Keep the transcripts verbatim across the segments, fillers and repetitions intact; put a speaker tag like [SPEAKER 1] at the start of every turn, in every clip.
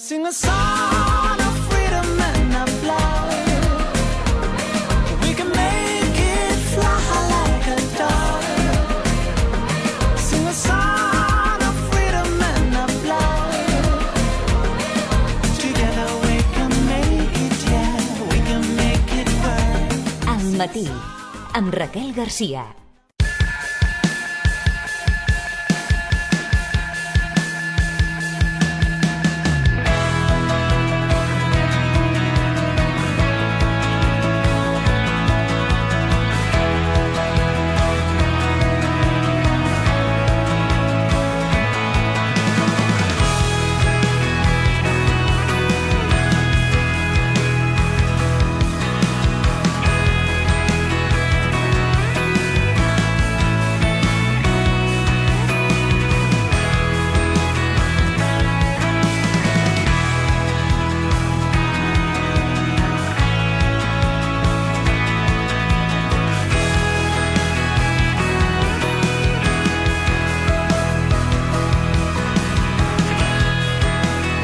[SPEAKER 1] Sing a song of freedom and of love. We can make it fly like a dove. Sing a song of freedom and of love. Together we can make it, yeah, we can make it work.
[SPEAKER 2] Al matí, amb Raquel Garcia.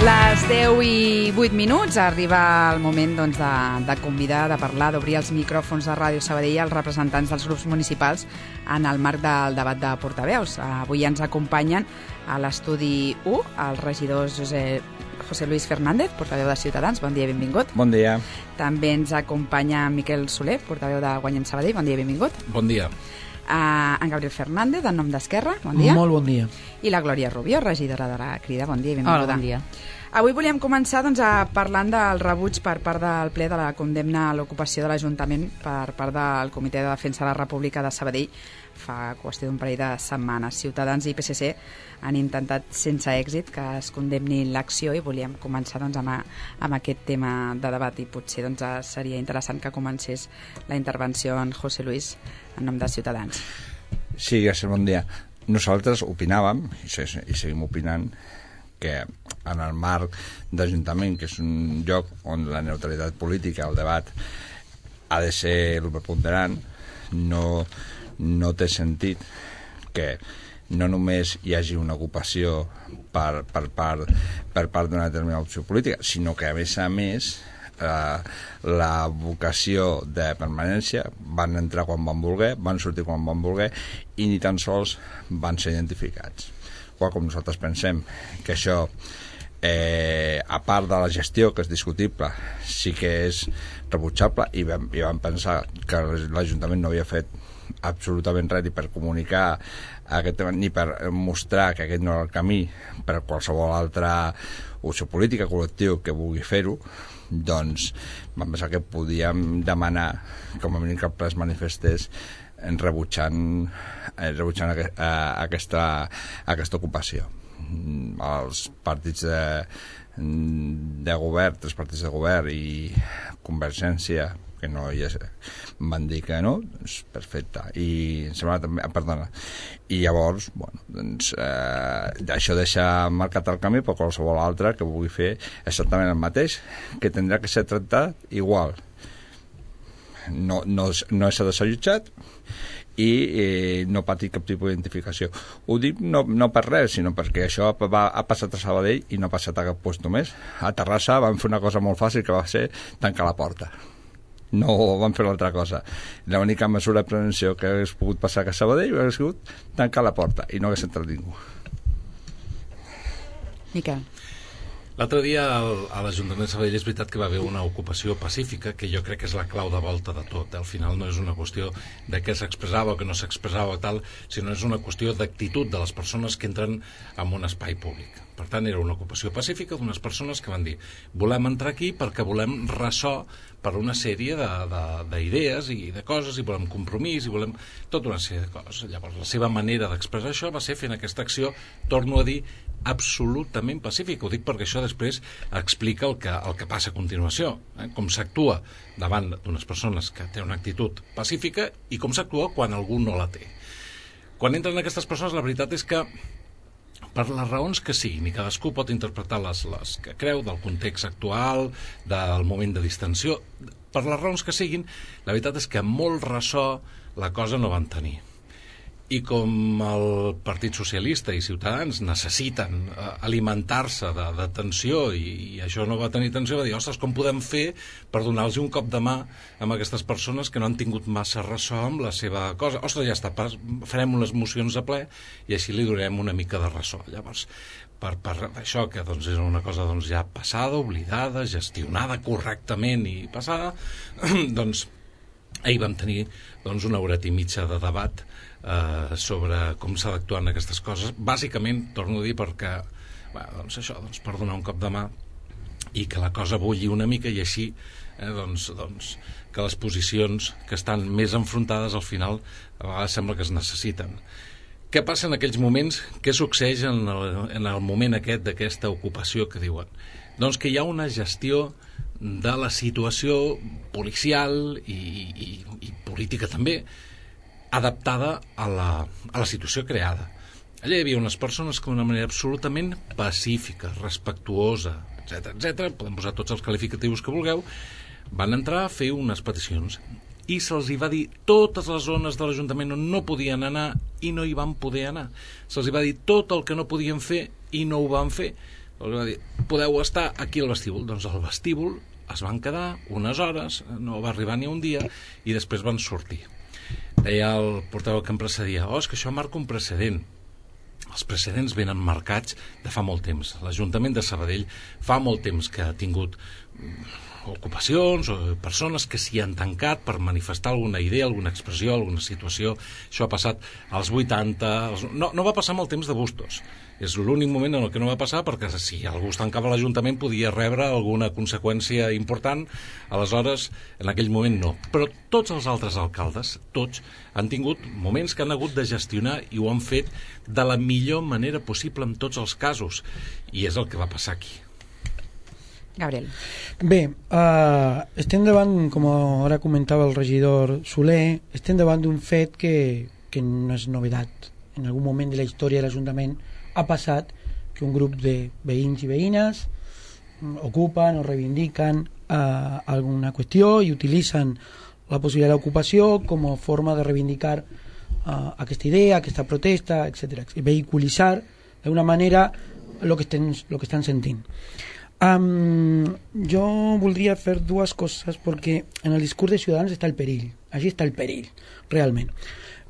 [SPEAKER 3] Les deu i vuit minuts, arriba el moment doncs, de, de convidar, de parlar, d'obrir els micròfons de Ràdio Sabadell als representants dels grups municipals en el marc del debat de portaveus. Avui ens acompanyen a l'estudi u els regidors José, José Luis Fernández, portaveu de Ciutadans. Bon dia i benvingut.
[SPEAKER 4] Bon dia.
[SPEAKER 3] També ens acompanya Miquel Soler, portaveu de Guanyem Sabadell. Bon dia i benvingut.
[SPEAKER 5] Bon dia.
[SPEAKER 3] Uh, en Gabriel Fernández, en nom d'Esquerra. Bon dia.
[SPEAKER 6] Molt bon dia.
[SPEAKER 3] I la Glòria Rubio, regidora de la Crida. Bon dia i benvinguda.
[SPEAKER 7] Hola, bon dia.
[SPEAKER 3] Avui volíem començar doncs, a parlant del rebuig per part del ple de la condemna a l'ocupació de l'Ajuntament per part del Comitè de Defensa de la República de Sabadell fa qüestió d'un parell de setmanes. Ciutadans i P S C han intentat sense èxit que es condemni l'acció i volíem començar doncs, amb, a, amb aquest tema de debat i potser doncs, seria interessant que comencés la intervenció en José Luis en nom de Ciutadans.
[SPEAKER 4] Sí, gràcies, bon dia. Nosaltres opinàvem, i seguim opinant, que en el marc d'Ajuntament, que és un lloc on la neutralitat política, el debat, ha de ser el preponderant, no, no té sentit que no només hi hagi una ocupació per, per part, per part d'una determinada opció política, sinó que a més a més eh, la vocació de permanència van entrar quan van voler, van sortir quan van voler i ni tan sols van ser identificats. Qual com nosaltres pensem que això, eh, a part de la gestió, que és discutible, sí que és rebutjable, i vam, i vam pensar que l'Ajuntament no havia fet absolutament res ni per comunicar aquest tema, ni per mostrar que aquest no era el camí per qualsevol altra opció política, col·lectiu que vulgui fer-ho, doncs vam pensar que podíem demanar com a mínim que el ple es manifestés en rebutjant, eh, rebutjant aqu eh, aquesta, aquesta ocupació. Els partits de, de govern, tres partits de govern i Convergència, que no hi és, van dir que no, doncs perfecte. I em sembla també, perdona, i llavors, bueno, doncs, eh, això deixa marcat el camí per qualsevol altre que vulgui fer exactament el mateix, que tindrà que ser tractat igual. No, no, no s'ha desallotjat i eh, no patir cap tipus d'identificació. Ho dic no, no per res, sinó perquè això va, ha passat a Sabadell i no ha passat a cap lloc més. A Terrassa van fer una cosa molt fàcil, que va ser tancar la porta. No van fer l'altra cosa. L'única mesura de prevenció que hagués pogut passar a Sabadell hauria sigut tancar la porta i no hagués entrat ningú.
[SPEAKER 3] Miquel.
[SPEAKER 5] L'altre dia a l'Ajuntament de Sabadell és veritat que va haver una ocupació pacífica, que jo crec que és la clau de volta de tot. Al final no és una qüestió de què s'expressava o que no s'expressava tal, sinó és una qüestió d'actitud de les persones que entren en un espai públic. Per tant, era una ocupació pacífica d'unes persones que van dir volem entrar aquí perquè volem ressò per una sèrie d'idees i de coses, i volem compromís, i volem tota una sèrie de coses. Llavors, la seva manera d'expressar això va ser fent aquesta acció, torno a dir, absolutament pacífica. Ho dic perquè això després explica el que, el que passa a continuació, eh? Com s'actua davant d'unes persones que tenen una actitud pacífica i com s'actua quan algú no la té. Quan entren aquestes persones, la veritat és que per les raons que siguin, i cadascú pot interpretar les, les que creu, del context actual, del moment de distensió, per les raons que siguin, la veritat és que molt ressò la cosa no van tenir. i com el Partit Socialista i Ciutadans necessiten eh, alimentar-se de, de tensió i, i això no va tenir tensió, va dir, ostres, com podem fer per donar-los un cop de mà a aquestes persones que no han tingut massa ressò amb la seva cosa? Ostres, ja està, farem unes mocions a ple i així li donem una mica de ressò. Llavors, per, per això que doncs, és una cosa doncs, ja passada, oblidada, gestionada correctament i passada, doncs ahir vam tenir doncs, una horeta i mitja de debat Uh, sobre com s'ha d'actuar en aquestes coses, bàsicament, torno a dir, perquè bueno, doncs això, doncs, per donar un cop de mà i que la cosa bulli una mica i així eh, doncs, doncs, que les posicions que estan més enfrontades al final a vegades sembla que es necessiten. Què passa en aquells moments? Què succeeix en el, en el moment aquest d'aquesta ocupació que diuen? Doncs que hi ha una gestió de la situació policial i, i, i política també, adaptada a la, a la situació creada. Allà hi havia unes persones que d'una manera absolutament pacífica, respectuosa, etcètera, etcètera, podem posar tots els qualificatius que vulgueu, van entrar a fer unes peticions i se'ls hi va dir totes les zones de l'Ajuntament on no podien anar i no hi van poder anar. Se'ls hi va dir tot el que no podien fer i no ho van fer. Se'ls va dir, podeu estar aquí al vestíbul. Doncs al vestíbul es van quedar unes hores, no va arribar ni un dia, i després van sortir. Deia el portaveu que em precedia, oh, és que això marca un precedent. Els precedents venen marcats de fa molt temps. L'Ajuntament de Sabadell fa molt temps que ha tingut ocupacions o persones que s'hi han tancat per manifestar alguna idea, alguna expressió, alguna situació. Això ha passat als vuitanta... Als... No, no va passar amb el temps de Bustos. És l'únic moment en el que no va passar, perquè si algú es tancava a l'Ajuntament podia rebre alguna conseqüència important, aleshores en aquell moment no. Però tots els altres alcaldes, tots, han tingut moments que han hagut de gestionar i ho han fet de la millor manera possible en tots els casos, i és el que va passar aquí.
[SPEAKER 3] Gabriel.
[SPEAKER 6] Bé, uh, estem davant, com ara comentava el regidor Soler, estem davant d'un fet que, que no és novedat. En algun moment de la història de l'Ajuntament ha passat que un grup de veïns i veïnes ocupen o reivindiquen uh, alguna qüestió i utilitzen la possibilitat d'ocupació com a forma de reivindicar uh, aquesta idea, aquesta protesta, etcètera, vehiculitzar d'una manera el que, estem, lo que estan sentint. Um, jo voldria fer dues coses perquè en el discurs de Ciutadans està el perill, allí està el perill realment.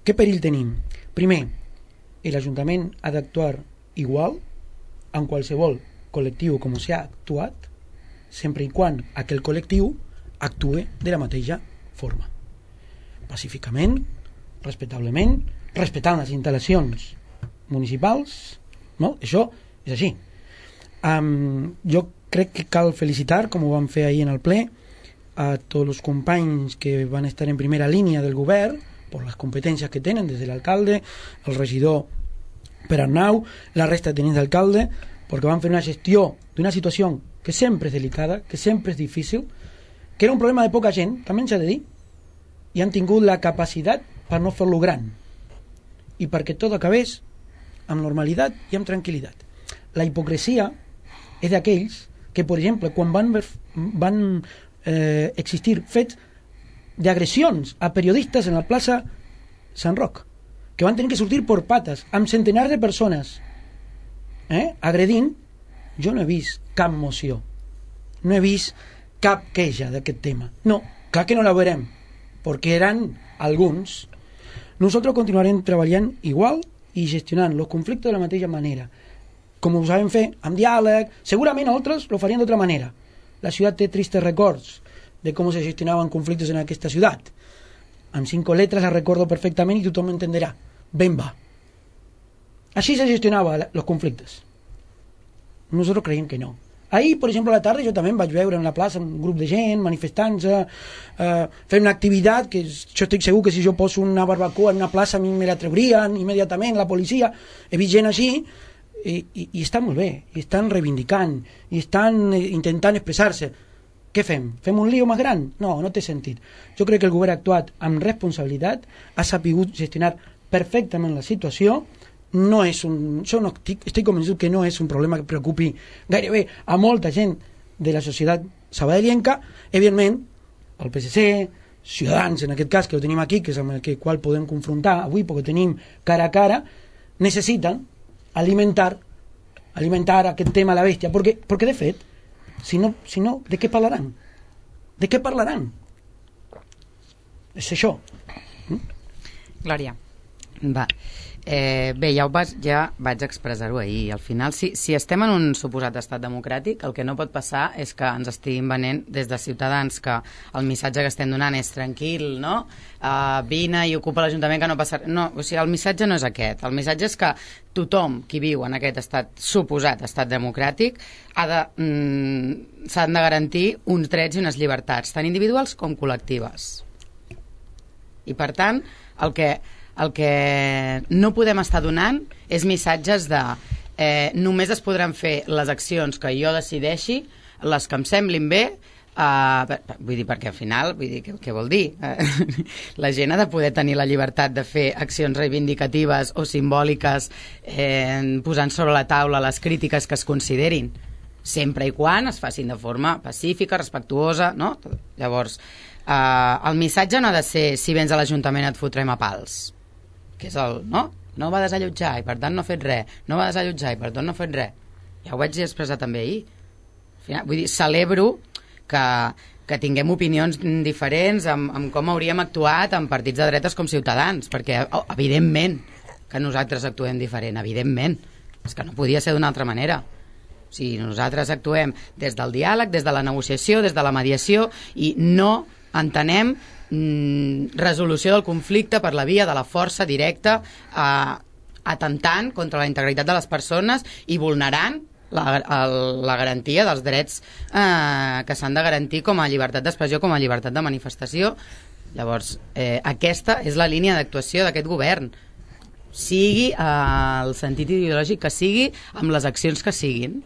[SPEAKER 6] Què perill tenim? Primer, l'Ajuntament ha d'actuar igual en qualsevol col·lectiu com s'ha actuat, sempre i quan aquell col·lectiu actue de la mateixa forma, pacíficament, respectablement, respectant les instal·lacions municipals, no? Això és així. Um, jo crec que cal felicitar, com ho vam fer ahir en el ple, a tots els companys que van estar en primera línia del govern per les competències que tenen, des de l'alcalde, el regidor Per Arnau, la resta de tenents d'alcalde, perquè van fer una gestió d'una situació que sempre és delicada, que sempre és difícil, que era un problema de poca gent, també s'ha de dir, i han tingut la capacitat per no fer-lo gran i perquè tot acabés amb normalitat i amb tranquil·litat. La hipocresia és d'aquells que, per exemple, quan van, van eh, existir fets d'agressions a periodistes en la plaça Sant Roc, que van tenir que sortir per pates amb centenars de persones eh, agredint, jo no he vist cap moció, no he vist cap queixa d'aquest tema. No, clar que no la veurem, perquè eren alguns. Nosaltres continuarem treballant igual i gestionant els conflictes de la mateixa manera, com ho sabem fer, amb diàleg. Segurament altres ho farien d'altra manera. La ciutat té tristes records de com se gestionaven conflictes en aquesta ciutat. Amb cinco letres la recordo perfectament i tothom entenderà. Ben va. Així se gestionava els conflictes. Nosaltres creiem que no. Ahir, per exemple, a la tarda jo també vaig veure en la plaça un grup de gent manifestant-se, eh, fent una activitat que jo estic segur que si jo poso una barbacoa en una plaça a mi me la treurien immediatament la policia. He vist gent així i, i, i està molt bé, i estan reivindicant i estan intentant expressar-se. Què fem? Fem un lío més gran? No, no té sentit. Jo crec que el govern ha actuat amb responsabilitat, ha sapigut gestionar perfectament la situació. No és un, jo no estic, estic convençut que no és un problema que preocupi gairebé a molta gent de la societat sabadellenca. Evidentment, el P S C, Ciutadans, en aquest cas, que ho tenim aquí, que és amb el que qual podem confrontar avui, perquè tenim cara a cara, necessiten alimentar alimentar aquest tema a la bèstia, perquè, perquè de fet, si no, si no, de què parlaran? De què parlaran? És això.
[SPEAKER 3] Glòria.
[SPEAKER 7] Va. Eh, bé, ja, ho vas, ja vaig expressar-ho ahir. Al final, si, si estem en un suposat estat democràtic, el que no pot passar és que ens estiguin venent des de Ciutadans que el missatge que estem donant és tranquil, no? Uh, vine i ocupa l'Ajuntament que no passa... No, o sigui, el missatge no és aquest. El missatge és que tothom qui viu en aquest estat, suposat estat democràtic, ha de, mm, s'han de garantir uns drets i unes llibertats, tant individuals com col·lectives. I, per tant, el que... el que no podem estar donant és missatges de eh, només es podran fer les accions que jo decideixi, les que em semblin bé, eh, vull dir, perquè al final, vull dir, què, què vol dir? Eh, la gent ha de poder tenir la llibertat de fer accions reivindicatives o simbòliques eh, posant sobre la taula les crítiques que es considerin, sempre i quan es facin de forma pacífica, respectuosa, no? Llavors, eh, el missatge no ha de ser si vens a l'Ajuntament et fotrem a pals, que és el, no? No va desallotjar i per tant no ha fet res, no va desallotjar i per tant no ha fet res. Ja ho vaig expressar també ahir. Al final, vull dir, celebro que, que tinguem opinions diferents amb, amb com hauríem actuat en partits de dretes com Ciutadans, perquè oh, evidentment que nosaltres actuem diferent, evidentment. És que no podia ser d'una altra manera. O sigui, nosaltres actuem des del diàleg, des de la negociació, des de la mediació i no entenem resolució del conflicte per la via de la força directa, eh, atemptant contra la integritat de les persones i vulnerant la, el, la garantia dels drets eh, que s'han de garantir com a llibertat d'expressió, com a llibertat de manifestació. Llavors, eh, aquesta és la línia d'actuació d'aquest govern, sigui eh, el sentit ideològic que sigui, amb les accions que siguin.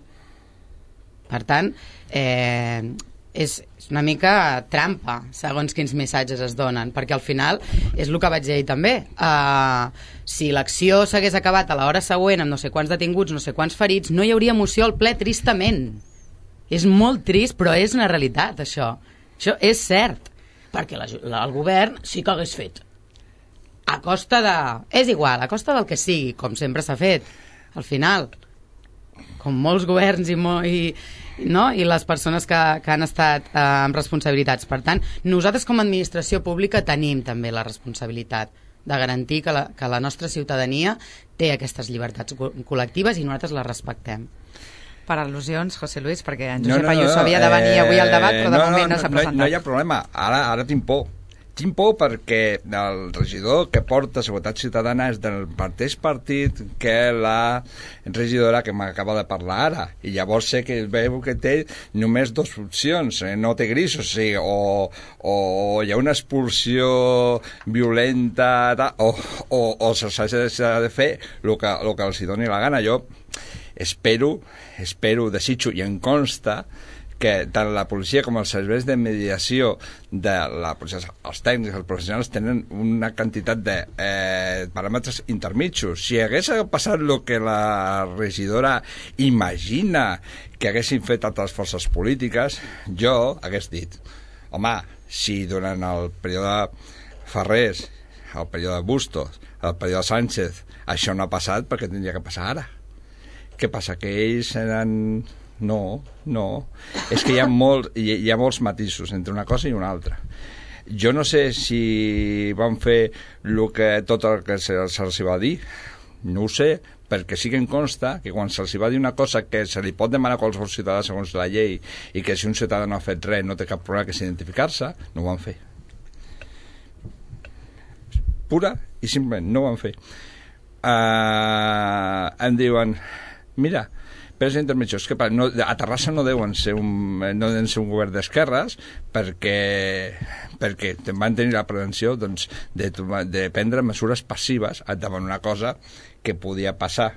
[SPEAKER 7] Per tant, eh, és una mica trampa segons quins missatges es donen, perquè al final és el que vaig dir també, uh, si l'acció s'hagués acabat a l'hora següent amb no sé quants detinguts, no sé quants ferits, no hi hauria moció al ple, tristament. És molt trist, però és una realitat, això. Això és cert, perquè la, la, el govern sí que hagués fet a costa de... és igual, a costa del que sigui, com sempre s'ha fet al final, com molts governs i, mo i no? I les persones que, que han estat eh, amb responsabilitats. Per tant, nosaltres com a administració pública tenim també la responsabilitat de garantir que la, que la nostra ciutadania té aquestes llibertats col·lectives i nosaltres les respectem.
[SPEAKER 3] Per al·lusions, José Luis, perquè en Josep
[SPEAKER 4] no, no, no,
[SPEAKER 3] Ayuso havia de venir eh, avui al debat, però de no, moment no, no s'ha presentat.
[SPEAKER 4] No, no hi ha problema, ara, ara tinc por. Tinc por perquè el regidor que porta Seguretat Ciutadana és del mateix partit que la regidora que m'acaba de parlar ara, i llavors sé que veu que té només dues opcions, eh? No té grisos, o sigui, o, o hi ha una expulsió violenta o, o, o s'ha de fer el que, el que els doni la gana. Jo espero, espero, desitjo i em consta que tant la policia com els serveis de mediació de la policia, els tècnics, els professionals tenen una quantitat de eh, paràmetres intermitjos. Si hagués passat el que la regidora imagina que haguessin fet altres forces polítiques, jo hagués dit, home, si durant el període Ferrés, el període Bustos, el període Sánchez, això no ha passat, perquè tindria que passar ara? Què passa? Que ells eren... No, no. És que hi ha, molt, hi, hi ha molts matisos entre una cosa i una altra. Jo no sé si van fer lo que, tot el que se'ls se va dir, no ho sé, perquè sí que em consta que quan se'ls va dir una cosa que se li pot demanar a qualsevol ciutadà segons la llei i que si un ciutadà no ha fet res no té cap problema que s'identificar-se, no ho van fer. Pura i simplement no ho van fer. Uh, em diuen, mira, però és intermitjó, és que no, a Terrassa no deuen ser un, no deuen ser un govern d'esquerres perquè, perquè van tenir la prevenció doncs, de, de prendre mesures passives davant una cosa que podia passar.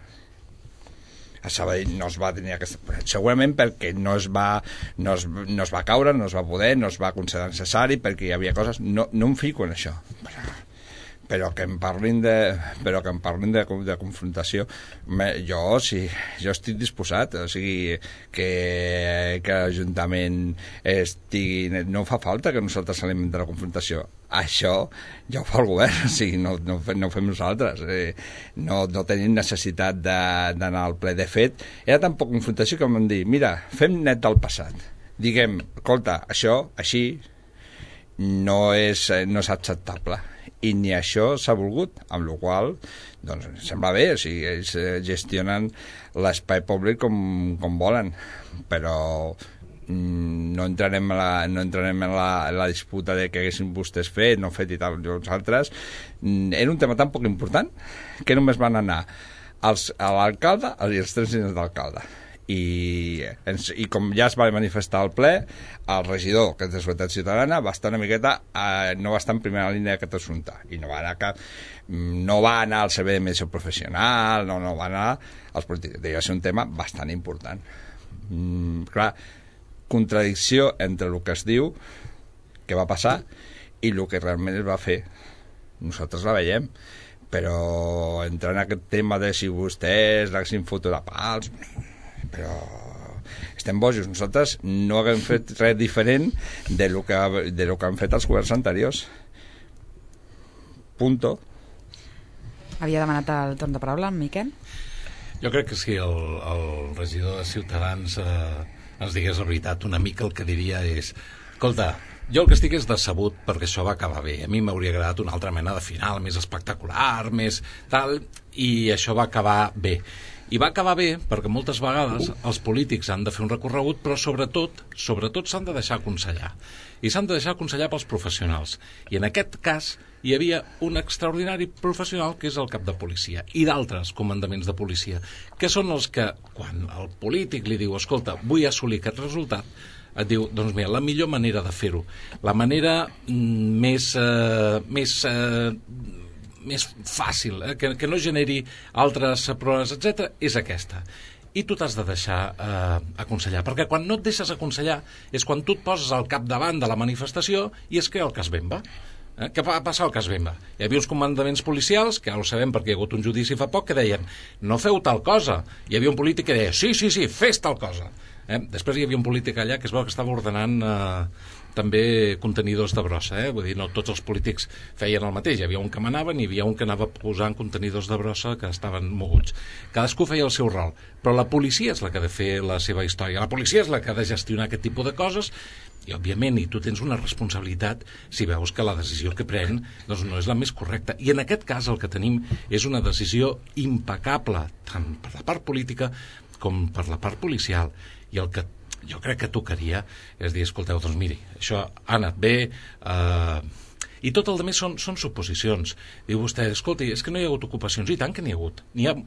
[SPEAKER 4] A Sabadell no es va tenir aquesta... Segurament perquè no es va, no es, no es va caure, no es va poder, no es va considerar necessari, perquè hi havia coses... No, no em fico en això. però que em parlin de, però que em parlin de, de confrontació. Jo, sí, jo estic disposat, o sigui, que, que l'Ajuntament estigui... No fa falta que nosaltres salim de la confrontació. Això ja ho fa el govern, o sigui, no, no, no ho fem nosaltres. Eh, no, no tenim necessitat d'anar al ple. De fet, era tan poc confrontació que vam dir, mira, fem net del passat. Diguem, escolta, això, així, no és, no és acceptable. I ni això s'ha volgut, amb la qual doncs, sembla bé, o sigui, ells gestionen l'espai públic com, com volen, però no entrarem, a la, no entrarem en la, la disputa de que haguessin vostès fet, no fet i tal, nosaltres. Era un tema tan poc important que només van anar els, a l'alcalde i els tres senyors d'alcalde. I, i com ja es va manifestar al ple, el regidor, que és de Seguretat Ciutadana, va estar una miqueta, eh, no va estar en primera línia d'aquest assumpte, i no va anar cap, no va anar al servei de mediació professional, no, no va anar als polítics. Devia ser un tema bastant important. Mm, clar, contradicció entre el que es diu que va passar i el que realment es va fer. Nosaltres la veiem, però entrar en aquest tema de si vostès l'haguessin fotut a pals, però estem bojos. Nosaltres no haguem fet res diferent de lo que, de lo que han fet els governs anteriors. Punto.
[SPEAKER 3] Havia demanat el torn de paraula, en Miquel?
[SPEAKER 5] Jo crec que si el, el regidor de Ciutadans eh, ens digués la veritat, una mica el que diria és, escolta, jo el que estic és decebut perquè això va acabar bé. A mi m'hauria agradat una altra mena de final, més espectacular, més tal, i això va acabar bé. I va acabar bé perquè moltes vegades els polítics han de fer un recorregut, però sobretot sobretot s'han de deixar aconsellar. I s'han de deixar aconsellar pels professionals. I en aquest cas hi havia un extraordinari professional que és el cap de policia i d'altres comandaments de policia, que són els que, quan el polític li diu, escolta, vull assolir aquest resultat, et diu, doncs mira, la millor manera de fer-ho, la manera mm, més... Eh, més eh, més fàcil, eh? que, que no generi altres proves, etcètera, és aquesta. I tu t'has de deixar eh, aconsellar, perquè quan no et deixes aconsellar és quan tu et poses al capdavant de la manifestació i es crea el cas Bemba. Eh? Què va passar al cas Bemba? Hi havia uns comandaments policials, que ara ho sabem perquè hi ha hagut un judici fa poc, que deien, no feu tal cosa. Hi havia un polític que deia, sí, sí, sí, fes tal cosa. Eh? Després hi havia un polític allà que es veu que estava ordenant eh, també contenidors de brossa, eh? Vull dir, no tots els polítics feien el mateix, hi havia un que manaven i hi havia un que anava posant contenidors de brossa que estaven moguts. Cadascú feia el seu rol, però la policia és la que ha de fer la seva història, la policia és la que ha de gestionar aquest tipus de coses i, òbviament, i tu tens una responsabilitat si veus que la decisió que pren doncs, no és la més correcta. I en aquest cas el que tenim és una decisió impecable, tant per la part política com per la part policial, i el que jo crec que tocaria és dir, escolteu, doncs miri, això ha anat bé, eh, i tot el demés són, són suposicions. Diu vostè, escolti, és que no hi ha hagut ocupacions, i tant que n'hi ha hagut. N'hi ha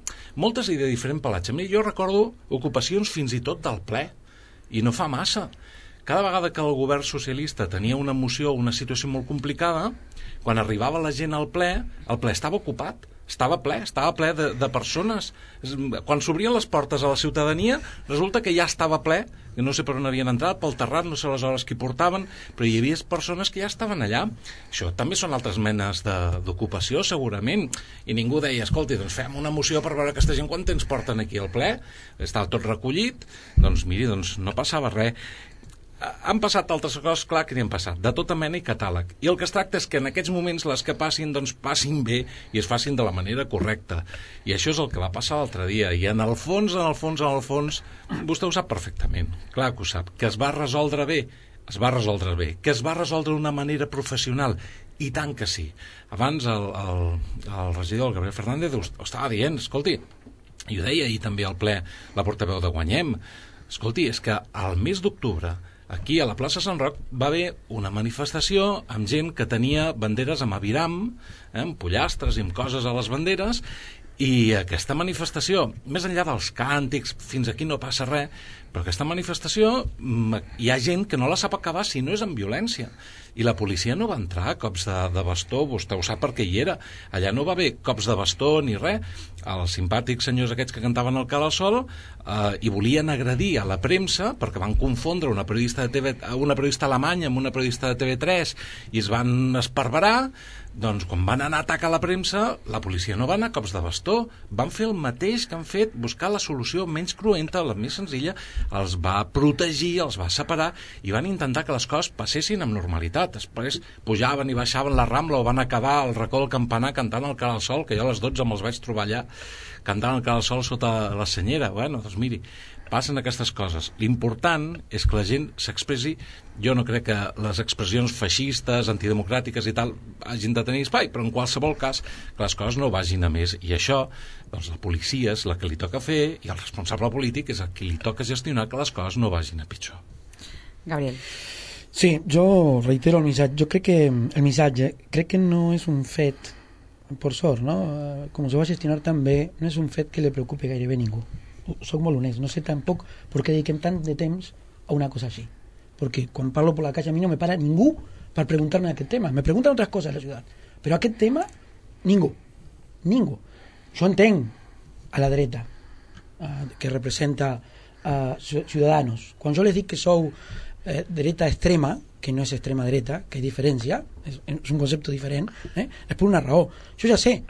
[SPEAKER 5] moltes i de diferent pelatge. Mira, jo recordo ocupacions fins i tot del ple, i no fa massa. Cada vegada que el govern socialista tenia una moció o una situació molt complicada, quan arribava la gent al ple, el ple estava ocupat. Estava ple, estava ple de, de persones. Quan s'obrien les portes a la ciutadania, resulta que ja estava ple, que no sé per on havien entrat, pel terrat, no sé les hores que hi portaven, però hi havia persones que ja estaven allà. Això també són altres menes d'ocupació, segurament. I ningú deia, escolti, doncs fem una moció per veure aquesta gent quan temps porten aquí al ple. Estava tot recollit, doncs miri, doncs no passava res. Han passat altres coses, clar que n'hi han passat, de tota mena i catàleg. I el que es tracta és que en aquests moments les que passin, doncs passin bé i es facin de la manera correcta. I això és el que va passar l'altre dia. I en el fons, en el fons, en el fons, vostè ho sap perfectament, clar que ho sap, que es va resoldre bé, es va resoldre bé, que es va resoldre d'una manera professional, i tant que sí. Abans el, el, el regidor, el Gabriel Fernández, ho estava dient, escolti, i ho deia ahir també al ple la portaveu de Guanyem, escolti, és que al mes d'octubre aquí a la plaça Sant Roc va haver una manifestació amb gent que tenia banderes amb aviram, eh, amb pollastres i amb coses a les banderes, i aquesta manifestació, més enllà dels càntics, fins aquí no passa res, Però aquesta manifestació hi ha gent que no la sap acabar si no és amb violència. I la policia no va entrar a cops de, de bastó, vostè ho sap perquè hi era. Allà no va haver cops de bastó ni res. Els simpàtics senyors aquests que cantaven el Cara al Sol eh, i volien agredir a la premsa perquè van confondre una periodista, de T V, una periodista alemanya amb una periodista de T V tres i es van esparverar. Doncs quan van anar a atacar la premsa, la policia no va anar a cops de bastó, van fer el mateix que han fet, buscar la solució menys cruenta, la més senzilla, els va protegir, els va separar i van intentar que les coses passessin amb normalitat. Després pujaven i baixaven la Rambla o van acabar al racó del campanar cantant el Cara al Sol, que jo a les dotze me'ls vaig trobar allà cantant el Cara al Sol sota la senyera. Bueno, doncs miri, passen aquestes coses. L'important és que la gent s'expressi. Jo no crec que les expressions feixistes, antidemocràtiques i tal hagin de tenir espai, però en qualsevol cas que les coses no vagin a més. I això, doncs la policia és la que li toca fer i el responsable polític és el que li toca gestionar que les coses no vagin a pitjor.
[SPEAKER 3] Gabriel.
[SPEAKER 6] Sí, jo reitero el missatge. Jo crec que el missatge, crec que no és un fet, per sort, no? Com se va gestionar també, no és un fet que li preocupi gairebé ningú. Soc molt honest, no sé tampoc per què dediquem tant de temps a una cosa així, perquè quan parlo per la calle a mi no me para ningú per preguntar-me aquest tema, me pregunten altres coses a la ciutat, però aquest tema ningú, ningú. Jo entenc a la dreta eh, que representa eh, Ciudadanos, quan jo les dic que sou eh, dreta extrema, que no és extrema dreta, que és diferència, és, és un concepte diferent, eh? És per una raó. Jo ja sé,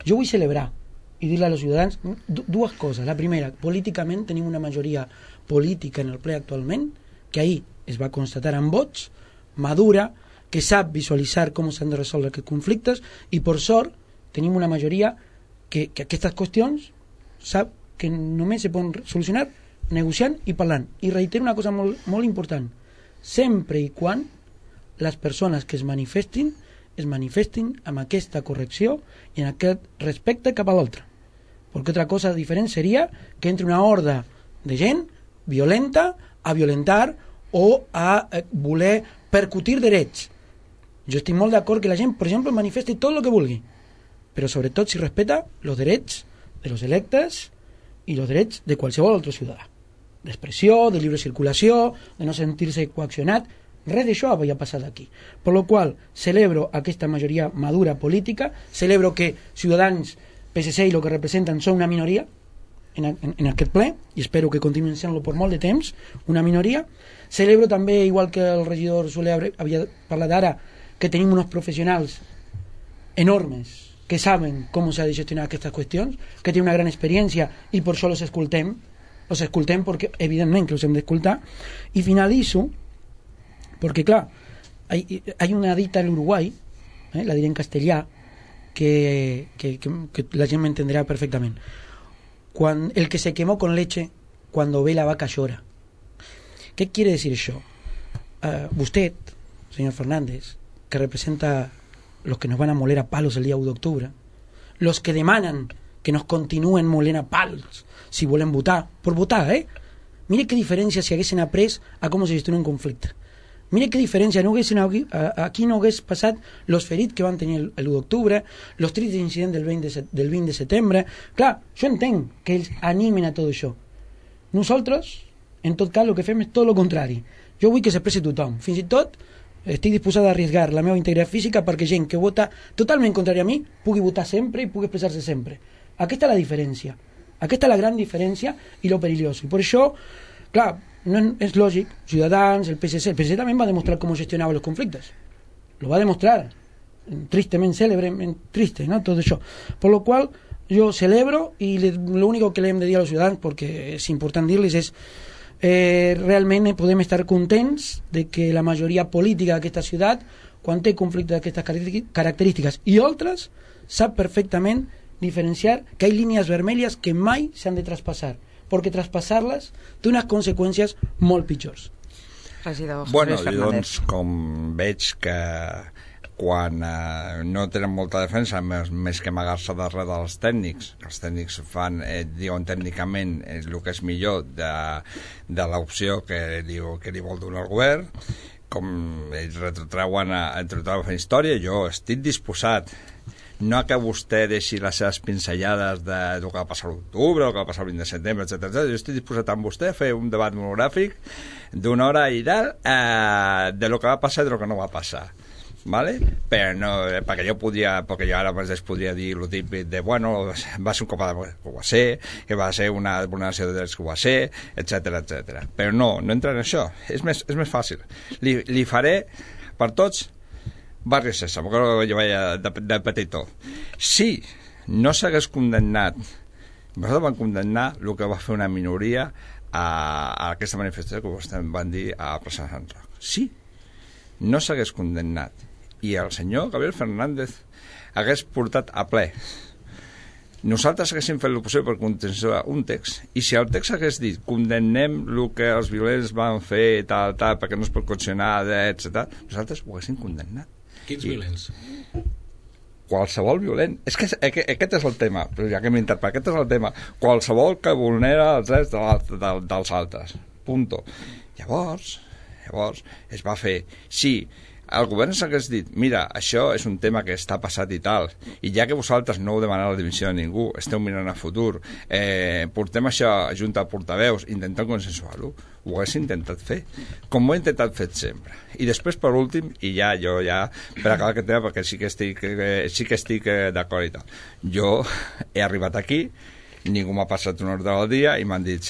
[SPEAKER 6] jo vull celebrar i dir-le als ciutadans dues coses. La primera, políticament tenim una majoria política en el ple actualment, que ahir es va constatar amb vots, madura, que sap visualitzar com s'han de resoldre aquests conflictes, i per sort tenim una majoria que, que aquestes qüestions sap que només se poden solucionar negociant i parlant. I reitero una cosa molt, molt important, sempre i quan les persones que es manifestin es manifestin amb aquesta correcció i en aquest respecte cap a l'altre. Perquè altra cosa diferent seria que entre una horda de gent violenta a violentar o a eh, voler percutir drets. Jo estic molt d'acord que la gent, per exemple, manifesti tot el que vulgui, però sobretot si respeta els drets de los electes i els drets de qualsevol altre ciutadà. D'expressió, de lliure circulació, de no sentir-se coaccionat. Res d'això havia passat aquí. Per lo qual celebro aquesta majoria madura política, celebro que Ciutadans, P S C i el que representen són una minoria en, en, en aquest ple, i espero que continuïn sent-lo per molt de temps, una minoria. Celebro també, igual que el regidor Soler havia parlat ara, que tenim uns professionals enormes que saben com s'ha de gestionar aquestes qüestions, que tenen una gran experiència i per això els escoltem, els escoltem perquè evidentment que els hem d'escoltar. I finalitzo porque claro, hay, hay una dita en Uruguay, eh, la diré en castellà, que, que, que, que la gente me entenderá perfectamente. Cuando, el que se quemó con leche, cuando ve la vaca llora. ¿Qué quiere decir eso? Uh, usted, señor Fernández, que representa los que nos van a moler a palos el día uno de octubre, los que demandan que nos continúen molent a palos si volen votar, por votar, eh? Mire qué diferencia si haguessin après a cómo se gestiona un conflicte. Mire qué diferència, no haguessin, aquí no hagués passat los ferits que van tenir l'u d'octubre, los tristes incidents del vint de, del vint de setembre. Clar, jo entenc que ells animen a tot això. Nosaltres, en tot cas, el que fem és tot el contrari. Jo vull que s'expressi tothom. Fins i tot estic disposada a arriesgar la meva integritat física perquè gent que vota totalment contrària a mi pugui votar sempre i pugui expressar-se sempre. Aquesta és la diferència. Aquesta és la gran diferència i lo perillós. I per això, clar, no és lògic, Ciutadans, el P S C, el P S C també va demostrar com gestionava els conflictes, lo va demostrar tristement cèlebre, triste, ¿no? Tot això, per lo qual jo celebro i lo único que le hem de dir als ciutadans, perquè és important dir-les, és eh, realment podem estar contents de que la majoria política d'aquesta ciutat, quan té conflictes d'aquestes característiques i altres, sap perfectament diferenciar que hi ha línies vermelles que mai s'han de traspassar, perquè traspassar-les té unes conseqüències molt pitjors.
[SPEAKER 3] Regidor
[SPEAKER 4] bueno,
[SPEAKER 3] José
[SPEAKER 4] doncs, com veig que quan eh, no tenen molta defensa més, més que amagar-se darrere dels tècnics, els tècnics fan, eh, diuen tècnicament eh, el que és millor de, de l'opció que, diu, que li vol donar el govern, com ells retrotreuen a, a, a fer història, jo estic disposat no que vostè deixi les seves pinzellades de del que va passar a l'octubre, el que va passar el vint de setembre, etcètera. Jo estic disposat amb vostè a fer un debat monogràfic d'una hora i tal eh, de lo que va passar i de lo que no va passar. Vale? Però no, perquè jo podia, perquè jo ara mateix podria dir el típic de, bueno, va ser un cop de que ho va ser, que va ser una vulneració de drets que ho va ser, etcètera, etcètera. Però no, no entra en això. És més, és més fàcil. Li, li faré per tots Barri Sésamo, que jo veia de, de petitó. Si no s'hagués condemnat, nosaltres vam condemnar el que va fer una minoria a, a aquesta manifestació que vostès van dir a la plaça de Sant Roc. Si no s'hagués condemnat i el senyor Gabriel Fernández hagués portat a ple, nosaltres haguéssim fet el possible per contencionar un text, i si el text hagués dit condemnem el que els violents van fer tal, tal, perquè no es pot condicionar, etcètera, nosaltres ho haguéssim condemnat.
[SPEAKER 5] Quins
[SPEAKER 4] I
[SPEAKER 5] violents?
[SPEAKER 4] Qualsevol violent. És que aquest és el tema, però ja que m'he interpretat, aquest és el tema. Qualsevol que vulnera els drets de, de, dels altres. Punto. Llavors, llavors es va fer. Sí, el govern s'hagués dit, mira, això és un tema que està passat i tal, i ja que vosaltres no heu demanat la dimissió de ningú, esteu mirant a futur, eh, portem això a Junta de Portaveus, intentem consensuar-ho, ho hagués intentat fer, com ho he intentat fer sempre. I després, per últim, i ja, jo ja, per acabar aquest tema, perquè sí que estic, eh, sí que estic eh, d'acord i tal, jo he arribat aquí, ningú m'ha passat un ordre del dia i m'han dit,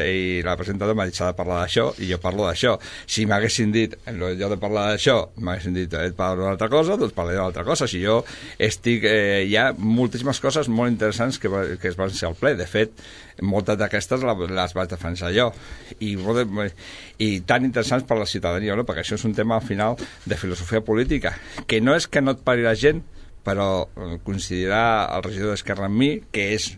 [SPEAKER 4] i la presentadora m'ha dit s'ha de parlar d'això i jo parlo d'això. Si m'haguessin dit, en lloc de parlar d'això, m'haguessin dit eh, parlo d'una altra cosa, doncs parlaré d'una altra cosa. Si jo estic, eh, hi ha moltíssimes coses molt interessants que, que es van ser al ple. De fet, moltes d'aquestes les vaig defensar jo. I, i tan interessants per la ciutadania, no? Perquè això és un tema al final de filosofia política, que no és que no et pari la gent, però coincidirà el regidor d'Esquerra amb mi, que és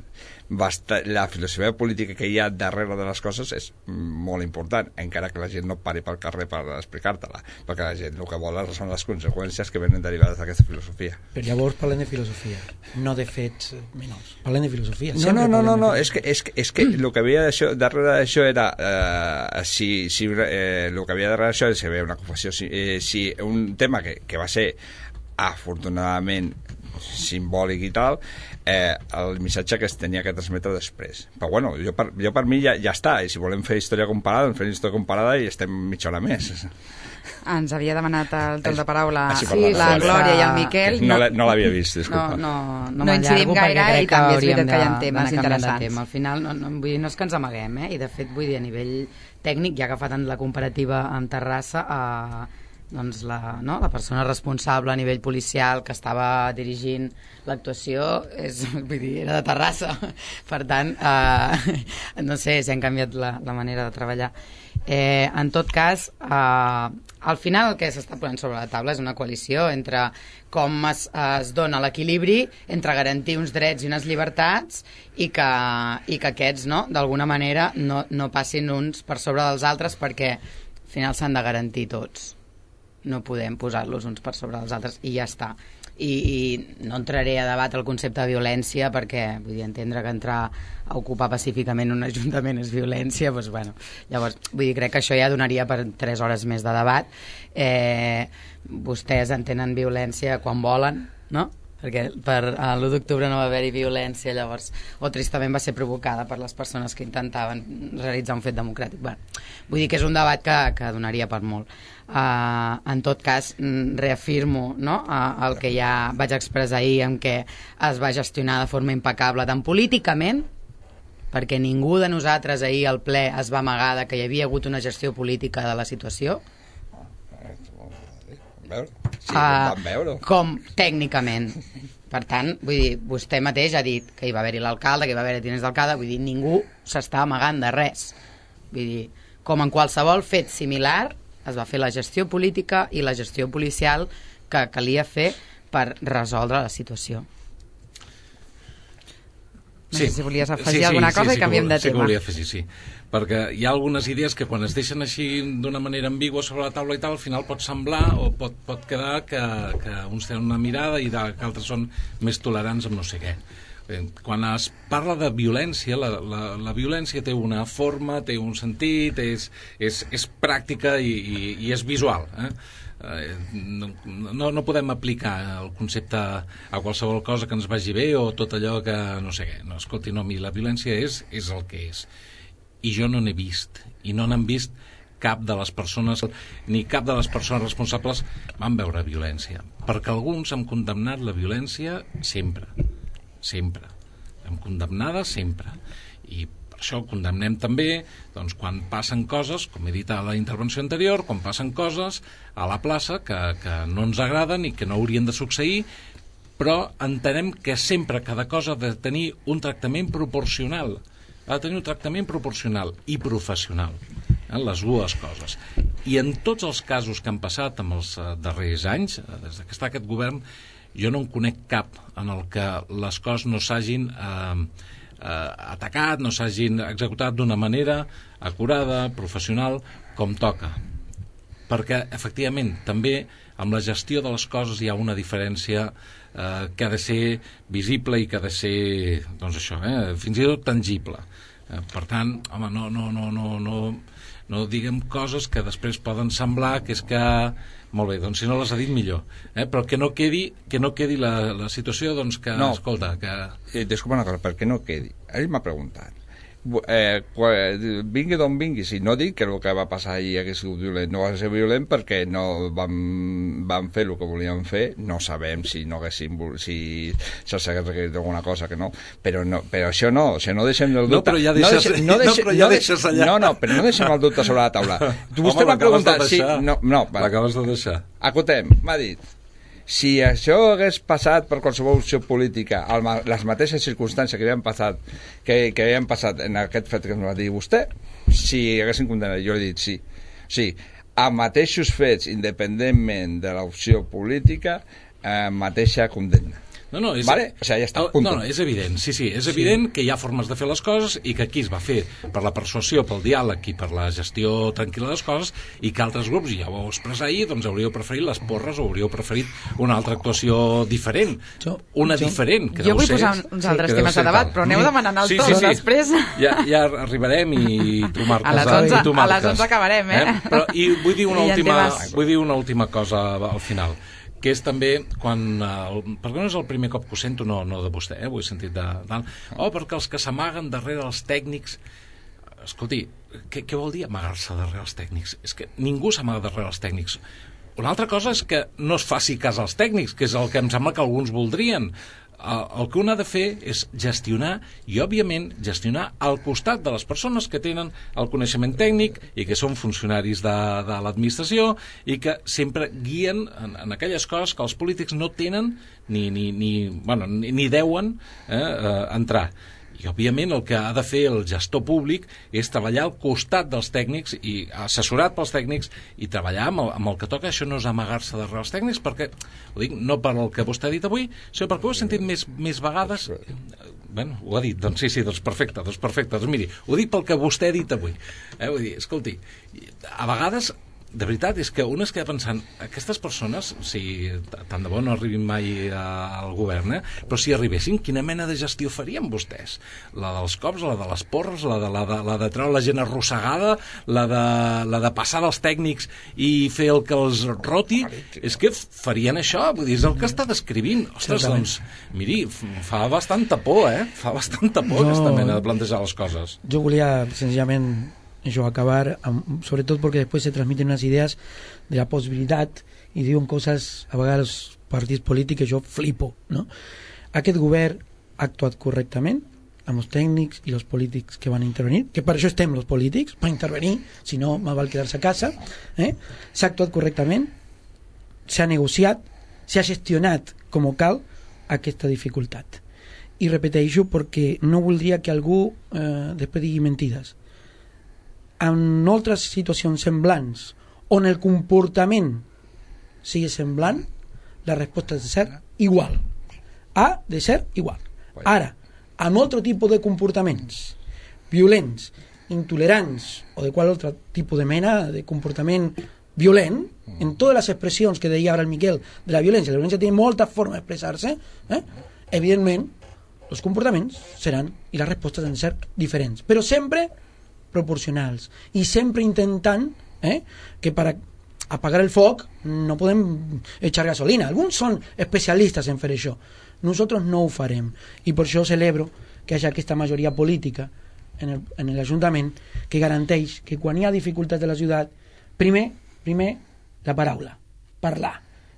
[SPEAKER 4] Basta, la filosofia política que hi ha darrere de les coses és molt important, encara que la gent no pari pel carrer per explicar-te-la, perquè la gent el que vol són les conseqüències que venen derivades d'aquesta filosofia.
[SPEAKER 6] Però llavors parlem de filosofia, no de fets menors. Parlem de filosofia.
[SPEAKER 4] No, no, no, no, no. És que, és que, és que el que havia d'això, darrere d'això era eh, si, si eh, el que havia darrere d'això és si hi havia una confusió, si, eh, si un tema que, que va ser afortunadament simbòlic i tal, eh, el missatge que es tenia que transmetre després. Però bueno, jo per, jo per mi ja, ja està, i si volem fer història comparada, doncs fem història comparada i estem mitja hora més.
[SPEAKER 3] Ens havia demanat el torn de paraula
[SPEAKER 4] ah, sí,
[SPEAKER 3] sí, la Glòria i el Miquel.
[SPEAKER 4] No, no, no l'havia vist, disculpa.
[SPEAKER 7] No, no, no,
[SPEAKER 3] no incidim gaire i també és veritat que hi ha temes
[SPEAKER 7] interessants.
[SPEAKER 3] tema.
[SPEAKER 7] Al final, no, no, vull dir, no és que ens amaguem, eh? I de fet, vull dir, a nivell tècnic, ja que fa tant la comparativa amb Terrassa, a eh, doncs la, no, la persona responsable a nivell policial que estava dirigint l'actuació és, vull dir, era de Terrassa. Per tant, eh, no sé si han canviat la, la manera de treballar. Eh, en tot cas, eh, al final el que s'està posant sobre la taula és una coalició entre com es, es dona l'equilibri entre garantir uns drets i unes llibertats i que, i que aquests, no, d'alguna manera no, no passin uns per sobre dels altres, perquè al final s'han de garantir tots. No podem posar-los uns per sobre dels altres i ja està. I, i no entraré a debat el concepte de violència, perquè vull dir, entendre que entrar a ocupar pacíficament un ajuntament és violència, doncs, bueno, llavors vull dir, crec que això ja donaria per tres hores més de debat. Eh, vostès entenen violència quan volen, no? Perquè per uh, l'u d'octubre no va haver-hi violència, llavors, o tristament va ser provocada per les persones que intentaven realitzar un fet democràtic. Bueno, vull dir que és un debat que, que donaria per molt. Uh, en tot cas, reafirmo, no, uh, el que ja vaig expressar ahir, en què es va gestionar de forma impecable, tant políticament, perquè ningú de nosaltres ahir al ple es va amagar de que hi havia hagut una gestió política de la situació,
[SPEAKER 4] sí, uh, veure.
[SPEAKER 7] Com tècnicament. Per tant, vull dir, vostè mateix ha dit que hi va haver-hi l'alcalde, que hi va haver-hi tinents d'alcalde, vull dir, ningú s'està amagant de res. Vull dir, com en qualsevol fet similar, es va fer la gestió política i la gestió policial que calia fer per resoldre la situació.
[SPEAKER 3] No
[SPEAKER 5] sí.
[SPEAKER 3] sé si volies afegir
[SPEAKER 5] sí, sí,
[SPEAKER 3] alguna cosa
[SPEAKER 5] sí, sí,
[SPEAKER 3] i canviem de
[SPEAKER 5] sí
[SPEAKER 3] tema.
[SPEAKER 5] Sí que volia afegir, sí. Perquè hi ha algunes idees que quan es deixen així d'una manera ambigua sobre la taula i tal, al final pot semblar o pot, pot quedar que, que uns tenen una mirada i que altres són més tolerants amb no sé què. quan es parla de violència, la, la, la violència té una forma, té un sentit, és, és, és pràctica i, i, i és visual, eh? No, no podem aplicar el concepte a qualsevol cosa que ens vagi bé o tot allò que no sé què. No, escolti, no, la violència és, és el que és. I jo no n'he vist, i no n'han vist cap de les persones, ni cap de les persones responsables van veure violència. Perquè alguns han condemnat la violència sempre, sempre. Hem condemnada sempre. I això ho condemnem també doncs, quan passen coses, com he dit a la intervenció anterior, quan passen coses a la plaça que, que no ens agraden i que no haurien de succeir, però entenem que sempre cada cosa ha de tenir un tractament proporcional, ha de tenir un tractament proporcional i professional, eh, les dues coses. I en tots els casos que han passat en els darrers anys, des que està aquest govern, jo no en conec cap en el que les coses no s'hagin eh, eh, atacat, no s'hagin executat d'una manera acurada, professional, com toca. Perquè, efectivament, també amb la gestió de les coses hi ha una diferència eh, que ha de ser visible i que ha de ser, doncs això, eh, fins i tot tangible. Eh, per tant, home, no, no, no, no, no, no diguem coses que després poden semblar que és que... Molt bé, doncs si no les ha dit millor. Eh? Però que no quedi, que no quedi la, la situació, doncs que, no, escolta... Que...
[SPEAKER 4] Eh, disculpa una cosa, perquè no quedi. Ell m'ha preguntat. Eh, vingui d'on vingui, si no dic que el que va passar ahir hagués sigut violent, no va ser violent perquè no van, van fer el que volien fer, no sabem si no haguessin, si se'ls hagués requerit alguna cosa que no, però, no, però això no, o sigui, no deixem el dubte,
[SPEAKER 5] no, però ja deixes, no, deixem, no, deixem, no, però ja
[SPEAKER 4] no,
[SPEAKER 5] deixes allà.
[SPEAKER 4] No, no, però no deixem el dubte sobre la taula. Vostè m'ha preguntat si... No, no,
[SPEAKER 5] l'acabes de deixar.
[SPEAKER 4] Acotem, m'ha dit, si això hagués passat per qualsevol opció política, les mateixes circumstàncies que havien passat, que, que havien passat en aquest fet que ens va dir vostè, si haguessin condemnat, jo he dit sí. Sí, a mateixos fets, independentment de l'opció política, eh, mateixa condemna.
[SPEAKER 5] No, no, és,
[SPEAKER 4] vale? O sigui, ja està,
[SPEAKER 5] no, no, és evident, sí, sí, és evident sí. que hi ha formes de fer les coses i que aquí es va fer per la persuasió, pel diàleg i per la gestió tranquil·la de les coses i que altres grups, ja ho vau expressar ahir, doncs hauríeu preferit les porres o hauríeu preferit una altra actuació diferent,
[SPEAKER 6] jo,
[SPEAKER 5] una
[SPEAKER 6] jo,
[SPEAKER 5] diferent. Que
[SPEAKER 3] jo vull
[SPEAKER 5] ser,
[SPEAKER 3] posar uns altres temes de debat, però aneu demanant el
[SPEAKER 5] sí,
[SPEAKER 3] to
[SPEAKER 5] sí, sí.
[SPEAKER 3] després.
[SPEAKER 5] Ja, ja arribarem i tu marques.
[SPEAKER 3] A les onze, a les onze acabarem, eh?
[SPEAKER 5] eh? Però, I vull dir, una
[SPEAKER 3] I
[SPEAKER 5] última, vull dir una última cosa al final, que és també quan, el, perquè no és el primer cop que ho sento, no, no de vostè, eh, ho he sentit de tal, oh, perquè els que s'amaguen darrere els tècnics, escolti, què, què vol dir amagar-se darrere els tècnics? És que ningú s'amaga darrere els tècnics. Una altra cosa és que no es faci cas als tècnics, que és el que em sembla que alguns voldrien. El que un ha de fer és gestionar i, òbviament, gestionar al costat de les persones que tenen el coneixement tècnic i que són funcionaris de, de l'administració i que sempre guien en, en aquelles coses que els polítics no tenen ni, ni, ni, bueno, ni, ni deuen eh, eh, entrar. I, òbviament, el que ha de fer el gestor públic és treballar al costat dels tècnics i assessorat pels tècnics i treballar amb el, amb el que toca. Això no és amagar-se darrere els tècnics, perquè, ho dic no per el que vostè ha dit avui, sinó perquè ho he sentit més, més vegades. Bueno, ho ha dit, doncs sí, sí, doncs perfecte, doncs perfecte. Doncs miri, ho dic pel que vostè ha dit avui. Eh? Vull dir, escolti, a vegades... De veritat, és que un es queda pensant, aquestes persones, si tant de bo no arribin mai a, al govern, eh? Però si arribessin, quina mena de gestió farien vostès? La dels cops, la de les porres, la de, la de, la de treure la gent arrossegada, la de, la de passar dels tècnics i fer el que els roti? És que farien això, vull dir, és el que està descrivint. Ostres, doncs, miri, fa bastanta por, eh? Fa bastanta por no, aquesta mena de plantejar les coses.
[SPEAKER 6] Jo volia, senzillament, yo acabar, um, sobre todo porque después se transmiten unas ideas de la posibilidad y diuen coses a vegades partits polítics, jo flipo, no? Aquest govern ha actuat correctament amb els tècnics i els polítics que van intervenir, que per això estem els polítics, per intervenir, si no me val quedar-se a casa, eh? S'ha actuat correctament, s'ha negociat, s'ha gestionat com cal aquesta dificultat. I repeteixo perquè no voldria que algú eh, després digui mentides. En altres situacions semblants on el comportament sigui semblant, la resposta ha de ser igual. Ha de ser igual. Ara, en altre tipus de comportaments violents, intolerants o de qual altre tipus de mena de comportament violent, en totes les expressions que deia ara el Miquel de la violència, la violència té molta forma d'expressar-se, eh? Evidentment els comportaments seran i les respostes han de ser diferents, però sempre proporcionals i sempre intentant eh, que per apagar el foc no podem echar gasolina. Alguns són especialistes en fer això, nosaltres no ho farem, i per això celebro que hi hagi aquesta majoria política en el, en l'Ajuntament que garanteix que quan hi ha dificultats de la ciutat, primer, primer la paraula, parlar,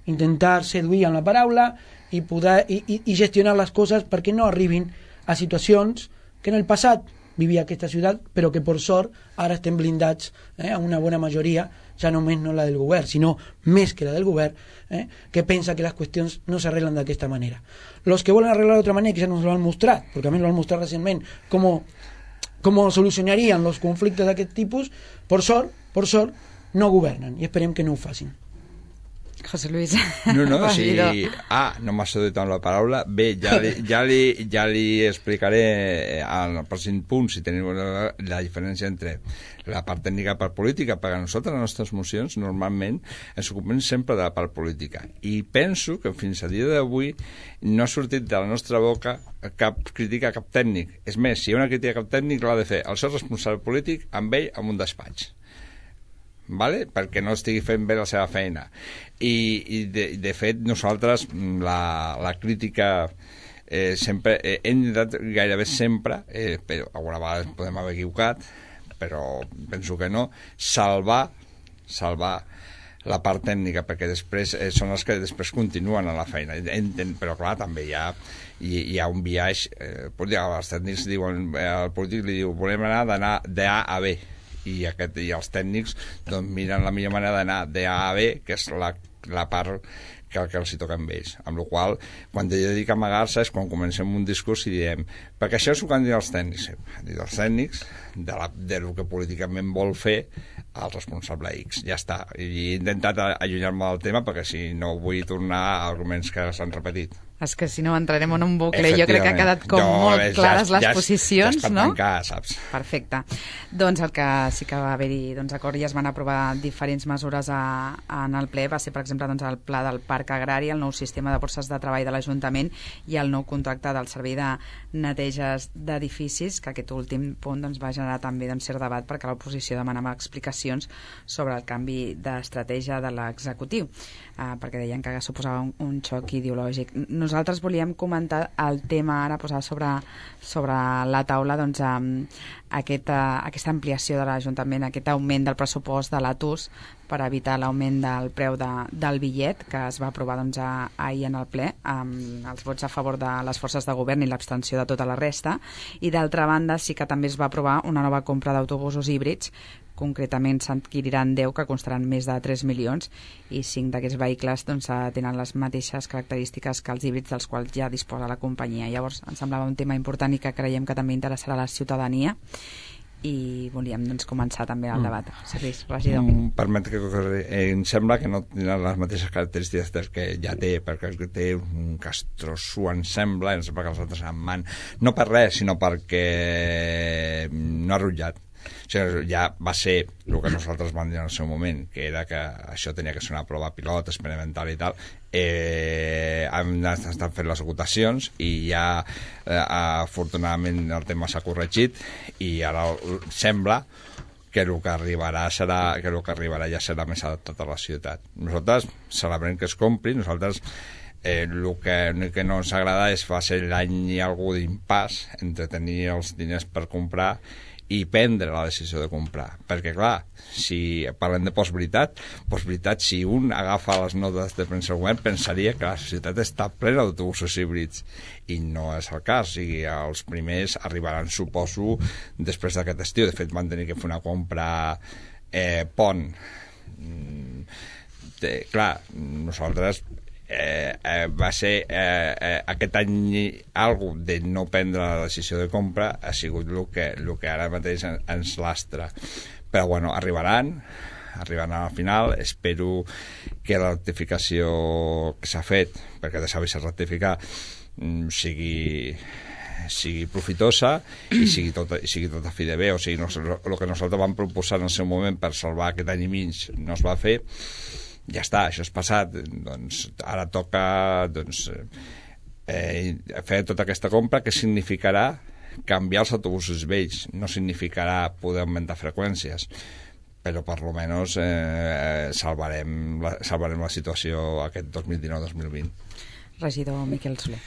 [SPEAKER 6] intentar seduir amb la paraula i, poder, i, i, i gestionar les coses perquè no arribin a situacions que en el passat vivia aquesta ciutat, però que per sort ara estem blindats eh, a una bona majoria, ja només no la del govern, sinó més que la del govern, eh, que pensa que les qüestions no s'arreglen d'aquesta manera. Los que volen arreglar d'altra manera, que ja nos lo han mostrat, perquè a més lo han mostrat recentment, com, com solucionarien els conflictes d'aquest tipus, per sort, per sort, no governen, i esperem que no ho facin.
[SPEAKER 3] José Luis.
[SPEAKER 4] No, no, sí. Ah, no m'ha seduït amb la paraula. Bé, ja li, ja li, ja li explicaré al pròxim punt si tenim la, la diferència entre la part tècnica i la part política, perquè nosaltres, les nostres mocions, normalment ens ocupem sempre de la part política. I penso que fins a dia d'avui no ha sortit de la nostra boca cap crítica a cap tècnic. És més, si hi ha una crítica a cap tècnic, l'ha de fer el seu responsable polític amb ell en un despatx. Vale? Perquè no estigui fent bé la seva feina. I, i de, de fet nosaltres la, la crítica eh, sempre eh, hem intentat gairebé sempre eh, però alguna vegada podem haver equivocat, però penso que no, salvar salvar la part tècnica, perquè després eh, són els que després continuen a la feina. Enten, però clar, també hi ha hi, hi ha un viatge eh, els tècnics diuen, eh, el polític li diu volem anar d'anar d'A a B, i, aquest, i els tècnics doncs, miren la millor manera d'anar d'A a B, que és la, la part que, que els hi toca amb ells. Amb la qual cosa, quan jo dic amagar-se és quan comencem un discurs i diem perquè això és el que han dit els tècnics. Han dit els tècnics de, la, de lo que políticament vol fer el responsable X. Ja està. I he intentat allunyar-me del tema perquè si no vull tornar a arguments que s'han repetit.
[SPEAKER 3] És que si no entrarem en un bucle. Jo crec que ha quedat com jo, molt és, clares ja, les ja, posicions, ja no?
[SPEAKER 4] Tancar, saps?
[SPEAKER 3] Perfecte. Doncs el que sí que va haver-hi doncs, acord i es van aprovar diferents mesures a, a, en el ple va ser, per exemple, doncs, el pla del Parc Agrari, el nou sistema de borses de treball de l'Ajuntament i el nou contracte del servei de neteges d'edificis, que aquest últim punt doncs, va generar també doncs, cert debat perquè l'oposició demanava explicacions sobre el canvi d'estratègia de l'executiu, eh, perquè deien que suposava un, un xoc ideològic. Nosaltres volíem comentar el tema ara posar sobre, sobre la taula doncs, aquesta, aquesta ampliació de l'Ajuntament, aquest augment del pressupost de l'A T U S per evitar l'augment del preu de, del bitllet que es va aprovar doncs, a, ahir en el ple amb els vots a favor de les forces de govern i l'abstenció de tota la resta, i d'altra banda sí que també es va aprovar una nova compra d'autobusos híbrids. Concretament s'adquiriran deu, que costaran més de tres milions, i cinc d'aquests vehicles doncs, tenen les mateixes característiques que els híbrids dels quals ja disposa la companyia. Llavors ens semblava un tema important i que creiem que també interessarà a la ciutadania, i volíem doncs, començar també el debat. Servis, regidor.
[SPEAKER 4] Mm, permet que eh, em sembla que no tenen les mateixes característiques que ja té, perquè té un castroso, em sembla, em sembla que els altres en man, no per res, sinó perquè no ha rutllat. O sigui, ja va ser el que nosaltres vam dir en el seu moment, que era que això tenia que ser una prova pilot, experimental i tal. Eh, hem estat fent les votacions i ja eh, afortunadament el tema s'ha corregit i ara sembla que el que arribarà serà que el que arribarà ja serà més adaptat a la ciutat. Nosaltres celebrem que es compri, nosaltres eh, el que, el que no ens agrada és va ser l'any i algú d'impàs entre tenir els diners per comprar i prendre la decisió de comprar, perquè clar, si parlem de postveritat, postveritat, si un agafa les notes de premsa del govern pensaria que la ciutat està plena d'autobusos híbrids i no és el cas. O sigui, els primers arribaran, suposo, després d'aquest estiu. De fet van tenir que fer una compra eh, pont de, clar, nosaltres Eh, eh, va ser eh, eh, aquest any algo de no prendre la decisió de compra ha sigut el que, el que ara mateix en, ens lastra, però bueno, arribaran arribaran al final. Espero que la rectificació que s'ha fet, perquè de saber-se rectificar, sigui sigui profitosa i sigui tot, i sigui tot a fi de bé. O sigui, no, el que nosaltres vam proposar en el seu moment per salvar aquest any i mig no es va fer. Ja està, això és passat. Doncs ara toca doncs, eh, fer tota aquesta compra, que significarà canviar els autobusos vells, no significarà poder augmentar freqüències, però per lo menos eh, salvarem, la, salvarem la situació aquest dos mil dinou dos mil vint.
[SPEAKER 3] Regidor Miquel Soler.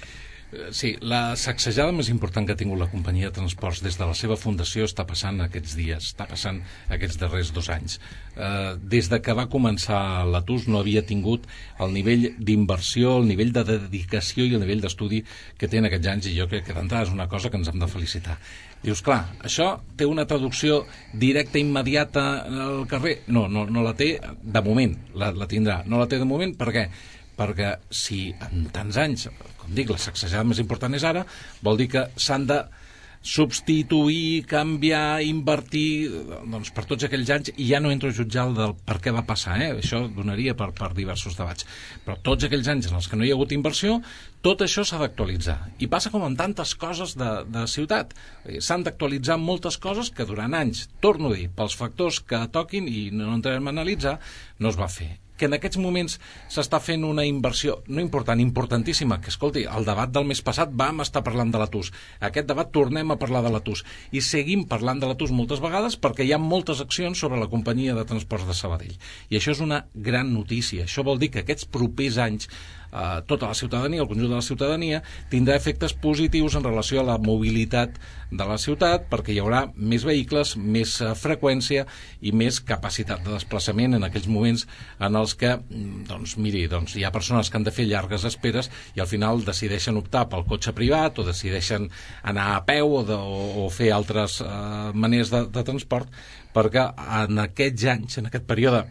[SPEAKER 5] Sí, la sacsejada més important que ha tingut la companyia de transports des de la seva fundació està passant aquests dies, està passant aquests darrers dos anys. Eh, des de que va començar l'A T U S no havia tingut el nivell d'inversió, el nivell de dedicació i el nivell d'estudi que té en aquests anys, i jo crec que d'entrada és una cosa que ens hem de felicitar. Dius, clar, això té una traducció directa, immediata al carrer? No, no, no la té de moment, la, la tindrà. No la té de moment, per què? Perquè si en tants anys, com dic, la sacsejada més important és ara, vol dir que s'han de substituir, canviar, invertir, doncs per tots aquells anys, i ja no entro a jutjar el del per què va passar, eh? Això donaria per, per diversos debats. Però tots aquells anys en els que no hi ha hagut inversió, tot això s'ha d'actualitzar. I passa com en tantes coses de, de ciutat. S'han d'actualitzar moltes coses que durant anys, torno a dir, pels factors que toquin, i no entrarem a analitzar, no es va fer. Que en aquests moments s'està fent una inversió no important, importantíssima, que escolti, el debat del mes passat vam estar parlant de l'A T U S, aquest debat tornem a parlar de l'A T U S, i seguim parlant de l'A T U S moltes vegades perquè hi ha moltes accions sobre la companyia de transports de Sabadell, i això és una gran notícia. Això vol dir que aquests propers anys eh, tota la ciutadania, el conjunt de la ciutadania, tindrà efectes positius en relació a la mobilitat de la ciutat, perquè hi haurà més vehicles, més eh, freqüència i més capacitat de desplaçament en aquells moments en els que, doncs, miri, doncs, hi ha persones que han de fer llargues esperes i al final decideixen optar pel cotxe privat o decideixen anar a peu o, de, o, o fer altres eh, maneres de, de transport, perquè en aquests anys, en aquest període,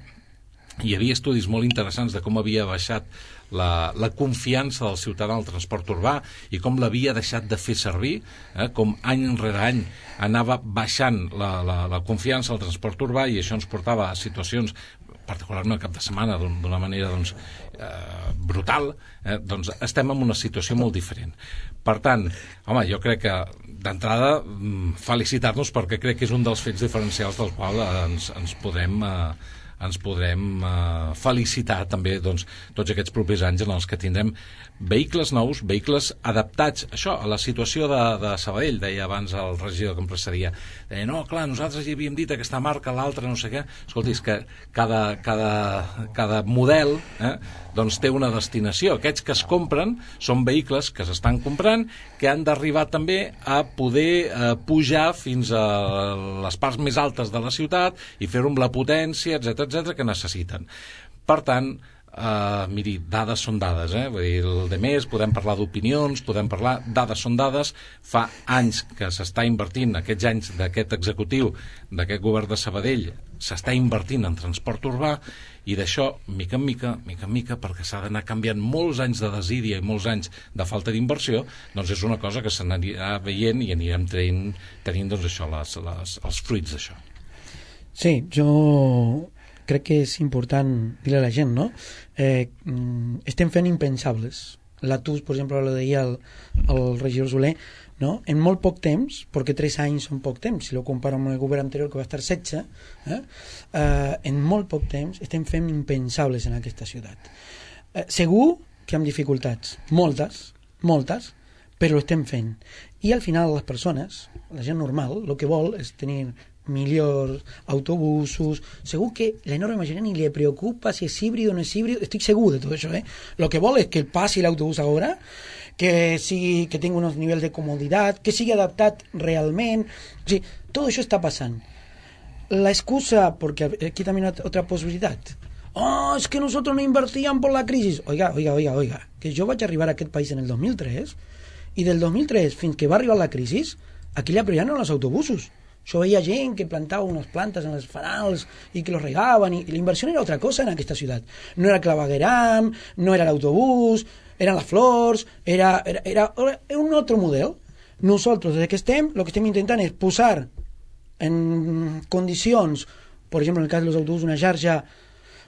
[SPEAKER 5] hi havia estudis molt interessants de com havia baixat la, la confiança del ciutadà en el transport urbà i com l'havia deixat de fer servir, eh, com any rere any anava baixant la, la, la confiança al transport urbà, i això ens portava a situacions, particularment el cap de setmana, d'una manera doncs, eh, brutal, eh, doncs estem en una situació molt diferent. Per tant, home, jo crec que d'entrada felicitar-nos, perquè crec que és un dels fets diferencials dels quals ens, ens podrem... Eh, ens podrem eh, felicitar també, doncs, tots aquests propers anys en els que tindrem vehicles nous, vehicles adaptats, això, a la situació de, de Sabadell. Deia abans el regidor que em precedia, deia, no, clar, nosaltres ja havíem dit aquesta marca, l'altra, no sé què. Escolti, és que cada, cada, cada model eh, doncs té una destinació. Aquests que es compren són vehicles que s'estan comprant, que han d'arribar també a poder eh, pujar fins a les parts més altes de la ciutat i fer-ho amb la potència, etcètera, etcètera, que necessiten. Per tant, Uh, miri, dades són dades, eh? Vull dir, el de més, podem parlar d'opinions, podem parlar, dades són dades. Fa anys que s'està invertint, aquests anys d'aquest executiu, d'aquest govern de Sabadell, s'està invertint en transport urbà, i d'això, mica en mica, mica en mica, perquè s'ha d'anar canviant molts anys de desídia i molts anys de falta d'inversió, doncs és una cosa que s'anirà veient i anirem tenint, tenint doncs això, les, les, els fruits d'això.
[SPEAKER 6] Sí, jo crec que és important dir a la gent, no? Eh, estem fent impensables. La T U S, per exemple, ho deia el, el regidor Soler, no? En molt poc temps, perquè tres anys són poc temps, si lo comparo amb el govern anterior que va estar setze, eh? Eh, en molt poc temps estem fent impensables en aquesta ciutat. Eh, segur que amb dificultats, moltes, moltes, però ho estem fent. I al final les persones, la gent normal, el que vol és tenir millors autobusos. Segur que l'enorme majoria ni le preocupa si és híbrido o no és híbrido, estic segur de tot això, eh? Lo que vol és que passi l'autobús ahora, que sigui, que tingui uns nivells de comoditat, que sigui adaptat realment. O sigui, tot això està passant. La excusa, porque aquí también hay otra posibilidad. Oh, es que nosotros no invertíamos por la crisis. Oiga, oiga, oiga, oiga, que jo vaig arribar a aquest país en el dos mil tres i del dos mil tres fins que va arribar la crisi, aquí la prioridad no eren els autobusos. Yo veía gent que plantaba unas plantas en los fanals y que los regaban, y, y la inversión era otra cosa en aquesta ciudad. No era el clavegueram, no era el autobús, eran las flors, era, era, era, era un otro model. Nosaltres, des que estem, el que estem intentant és posar en condicions, per exemple, en el cas dels autobusos, una xarxa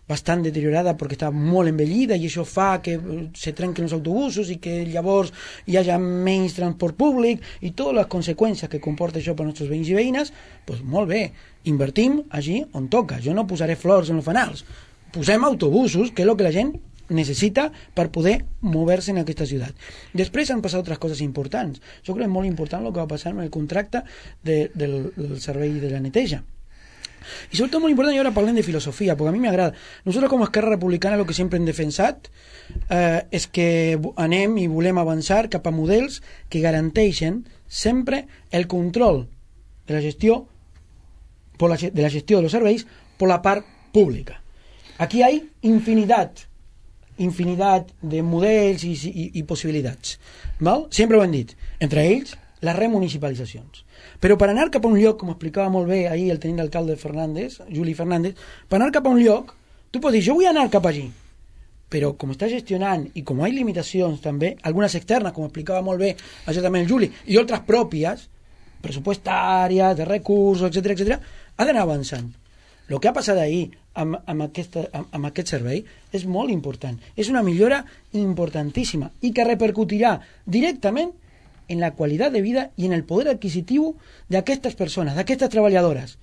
[SPEAKER 6] bastant deteriorada perquè està molt envellida, i això fa que se trenquen els autobusos i que llavors hi hagi menys transport públic i totes les conseqüències que comporta això per als nostres veïns i veïnes. Doncs molt bé, invertim allí on toca. Jo no posaré flors en els fanals, posem autobusos, que és el que la gent necessita per poder moure-se en aquesta ciutat. Després han passat altres coses importants. Jo crec que és molt important el que va passar amb el contracte de, del, del servei de la neteja. Y sobre todo muy importante, y ahora parlen de filosofía, porque a mí me agrada. Nosotros como Esquerra Republicana lo que sempre hem defensat eh, és que anem i volem avançar cap a models que garanteixen sempre el control de la gestió por la, de la gestió de los serveis por la part pública. Aquí hay infinidad infinidad de models i, i, i possibilitats. Val? Sempre ho hem dit. Entre ells, les remunicipalitzacions. Però per anar cap a un lloc, com explicava molt bé ahir el tenint d'alcalde Fernández, Juli Fernández, per anar cap a un lloc, tu pots dir, jo vull anar cap allí, però com està gestionant i com hi ha limitacions també, algunes externes, com explicava molt bé això també el Juli, i altres pròpies, pressupostàries, de recursos, etcètera, etcètera, ha d'anar avançant. El que ha passat ahir amb, amb, aquesta, amb, amb aquest servei és molt important. És una millora importantíssima i que repercutirà directament en la qualitat de vida i en el poder adquisitiu d'aquestes persones, d'aquestes treballadores.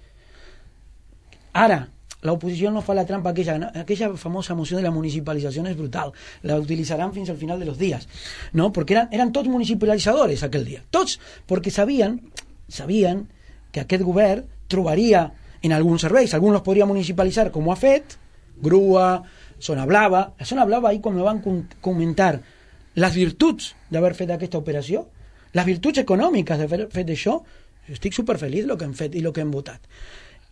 [SPEAKER 6] Ara, l'oposició no fa la trampa aquella, no? Aquella famosa moció de la municipalització és brutal, la utilitzaran fins al final de los días, ¿no? Porque eran, eran tots municipalitzadores aquell dia, tots, perquè sabien, sabien que aquest govern trobaria en alguns serveis, alguns los podria municipalitzar com ho ha fet, grua, zona blava, la zona blava ahir quan me van comentar les virtuts d'haver fet aquesta operació, les virtuts econòmiques d'haver fet això, jo estic superfeliç del que hem fet i el que hem votat.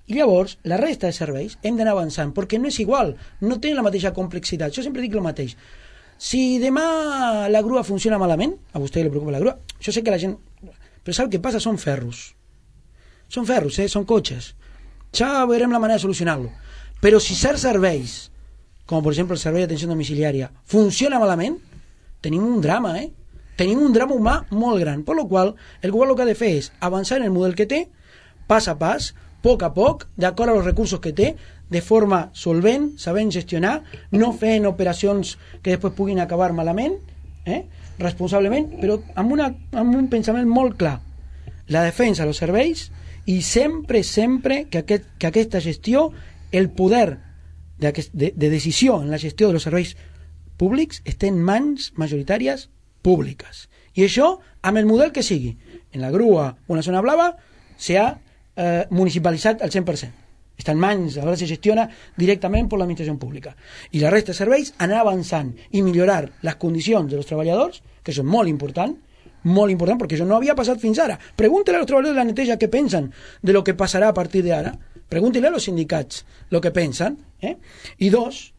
[SPEAKER 6] I llavors, la resta de serveis hem d'anar avançant, perquè no és igual, no tenen la mateixa complexitat. Jo sempre dic el mateix. Si demà la grua funciona malament, a vostè li preocupa la grua, jo sé que la gent... Però sap què passa? Són ferros. Són ferros, eh? Són cotxes. Ja veurem la manera de solucionar-lo. Però si certs serveis, com per exemple el servei d'atenció domiciliària, funciona malament, tenim un drama, eh? Tenim un drama humà molt gran, per lo qual el govern el que ha de fer és avançar en el model que té, pas a pas, poc a poc, d'acord amb els recursos que té, de forma solvent, sabent gestionar, no fent operacions que després puguin acabar malament, eh? responsablement, però amb, una, amb un pensament molt clar. La defensa dels serveis i sempre, sempre que, aquest, que aquesta gestió, el poder de, de, de decisió en la gestió dels serveis públics esté en mans majoritàries públiques. I això, amb el model que sigui, en la grua o en la zona blava, s'ha eh, municipalitzat al cent per cent. Està en mans, a veure si gestiona directament per l'administració pública. I la resta de serveis, anar avançant i millorar les condicions dels treballadors, que això és molt important, molt important, perquè això no havia passat fins ara. Pregúntele als treballadors de la neteja què pensen de lo que passarà a partir d'ara. Pregúntele a los sindicats lo que pensen. Eh? I dos,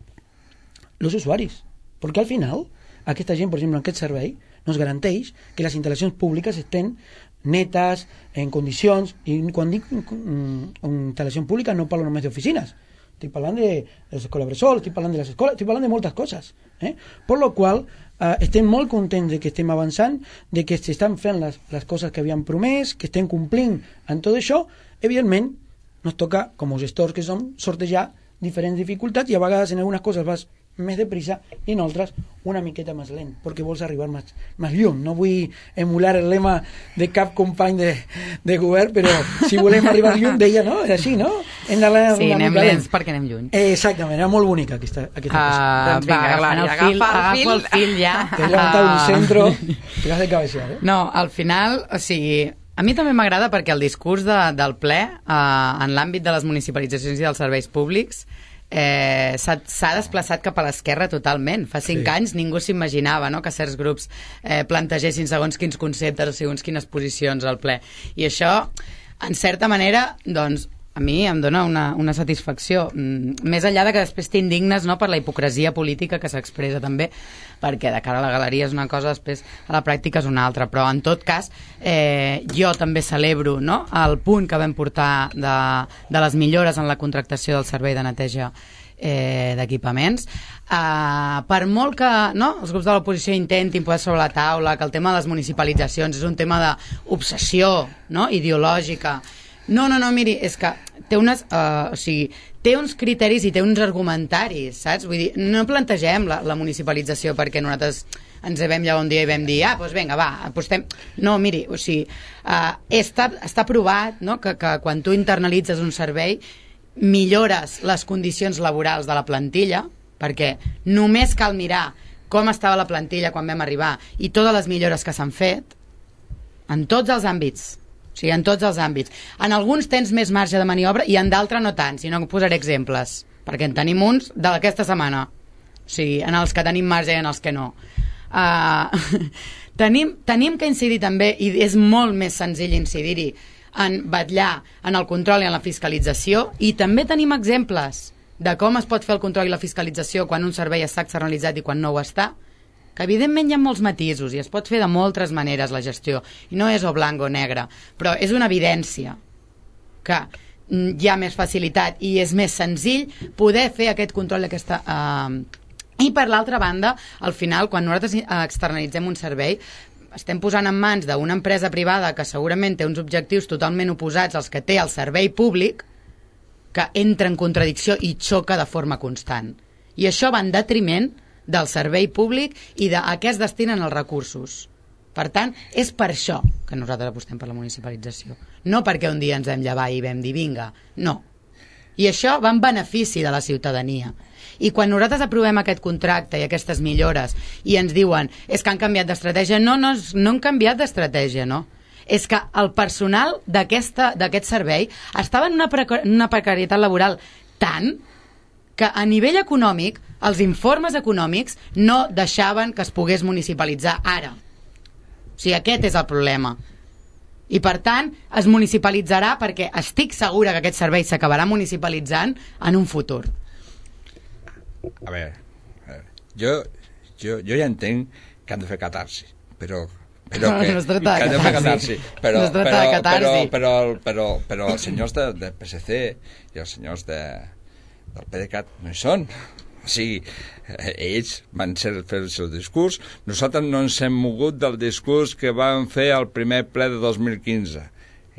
[SPEAKER 6] los usuaris. Perquè al final aquesta gent, per exemple, en aquest servei, nos garanteix que les instal·lacions públiques estén netes, en condicions, i quan dic instal·lació pública no parlo només d'oficines, estic parlant de les escoles bressol, estic parlant de les escoles, estic parlant de moltes coses. Eh? Per lo qual, eh, estem molt contents de que estem avançant, de que s'estan fent les, les coses que havíem promès, que estem complint en tot això. Evidentment, nos toca, com a gestors que som, sortejar diferents dificultats i a vegades en algunes coses vas més de prisa i en altres una miqueta més lent, perquè vols arribar més, més lluny. No vull emular el lema de cap company de, de govern, però si volem arribar lluny, deia, no? Era així, no? Hem d'anar
[SPEAKER 7] sí,
[SPEAKER 6] una
[SPEAKER 7] anem
[SPEAKER 6] mica
[SPEAKER 7] lents perquè anem lluny.
[SPEAKER 6] Eh, exactament, era molt bonica aquesta, aquesta
[SPEAKER 7] uh,
[SPEAKER 6] cosa.
[SPEAKER 7] Doncs vinga, va, agafant el fil, agafa el fil ja.
[SPEAKER 6] Te has levantado un centro, te has de cabecear, eh?
[SPEAKER 7] No, al final, o sigui, a mi també m'agrada perquè el discurs de, del ple uh, en l'àmbit de les municipalitzacions i dels serveis públics eh, s'ha desplaçat cap a l'esquerra totalment. Fa cinc sí. anys ningú s'imaginava, no?, que certs grups eh, plantegessin segons quins conceptes o segons quines posicions al ple. I això, en certa manera, doncs, a mi em dona una, una satisfacció, mm, més enllà de que després t'indignes, no?, per la hipocresia política que s'expressa també, perquè de cara a la galeria és una cosa, després a la pràctica és una altra, però en tot cas eh, jo també celebro, no?, el punt que vam portar de, de les millores en la contractació del servei de neteja eh, d'equipaments. Uh, per molt que, no?, els grups de l'oposició intentin posar sobre la taula que el tema de les municipalitzacions és un tema d'obsessió, no?, ideològica. No, no, no, miri, és que té unes, uh, o sigui, té uns criteris i té uns argumentaris, saps? Vull dir, no plantegem la, la municipalització perquè nosaltres ens vam llevar un dia i vam dir, ah, doncs vinga, va, apostem. No, miri, o sigui, uh, està, està provat, no?, que, que quan tu internalitzes un servei millores les condicions laborals de la plantilla, perquè només cal mirar com estava la plantilla quan vam arribar i totes les millores que s'han fet en tots els àmbits, o sigui, en tots els àmbits. En alguns tens més marge de maniobra i en d'altres no tant, si no posaré exemples, perquè en tenim uns d'aquesta setmana, o sigui, en els que tenim marge i en els que no. Uh, tenim, tenim que incidir també, i és molt més senzill incidir-hi, en vetllar en el control i en la fiscalització, i també tenim exemples de com es pot fer el control i la fiscalització quan un servei està externalitzat i quan no ho està, que evidentment hi ha molts matisos i es pot fer de moltes maneres la gestió, i no és o blanc o negre, però és una evidència que hi ha més facilitat i és més senzill poder fer aquest control d'aquesta... Eh... I per l'altra banda, al final, quan nosaltres externalitzem un servei, estem posant en mans d'una empresa privada que segurament té uns objectius totalment oposats als que té el servei públic, que entra en contradicció i xoca de forma constant. I això va en detriment del servei públic i de a què es destinen els recursos. Per tant, és per això que nosaltres apostem per la municipalització. No perquè un dia ens vam llevar i vam dir vinga, no. I això va en benefici de la ciutadania. I quan nosaltres aprovem aquest contracte i aquestes millores i ens diuen és que han canviat d'estratègia, no, no, no han canviat d'estratègia, no. És que el personal d'aquest servei estava en una, precar una precarietat laboral tant que a nivell econòmic els informes econòmics no deixaven que es pogués municipalitzar ara. O sigui, aquest és el problema. I per tant es municipalitzarà perquè estic segura que aquest servei s'acabarà municipalitzant en un futur.
[SPEAKER 4] A veure, a veure jo, jo, jo ja entenc que han de fer catarsi, però però
[SPEAKER 7] no,
[SPEAKER 4] que,
[SPEAKER 7] no es tracta
[SPEAKER 4] que
[SPEAKER 7] de catarsi,
[SPEAKER 4] però,
[SPEAKER 7] no es tracta
[SPEAKER 4] però,
[SPEAKER 7] de catarsi.
[SPEAKER 4] Però, però, però, però els senyors de, de P S C i els senyors de, del PDeCAT no hi són. O sigui, ells van ser, fer el seu discurs, nosaltres no ens hem mogut del discurs que van fer al primer ple de dos mil quinze.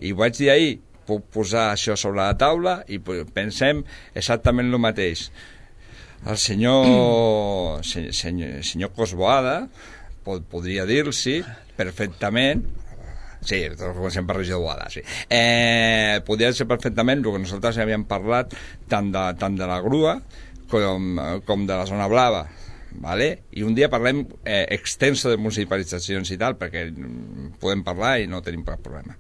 [SPEAKER 4] I ho vaig dir ahir, puc posar això sobre la taula i pensem exactament el mateix. El senyor, mm. senyor, senyor Cosboada pod, podria dir-s'hi perfectament, sí, comencem per regidor Boada, sí. Eh, podria ser perfectament el que nosaltres havíem parlat tant de, tant de la grua com, com de la zona blava, vale? I un dia parlem eh, extenso de municipalitzacions i tal, perquè podem parlar i no tenim cap problema.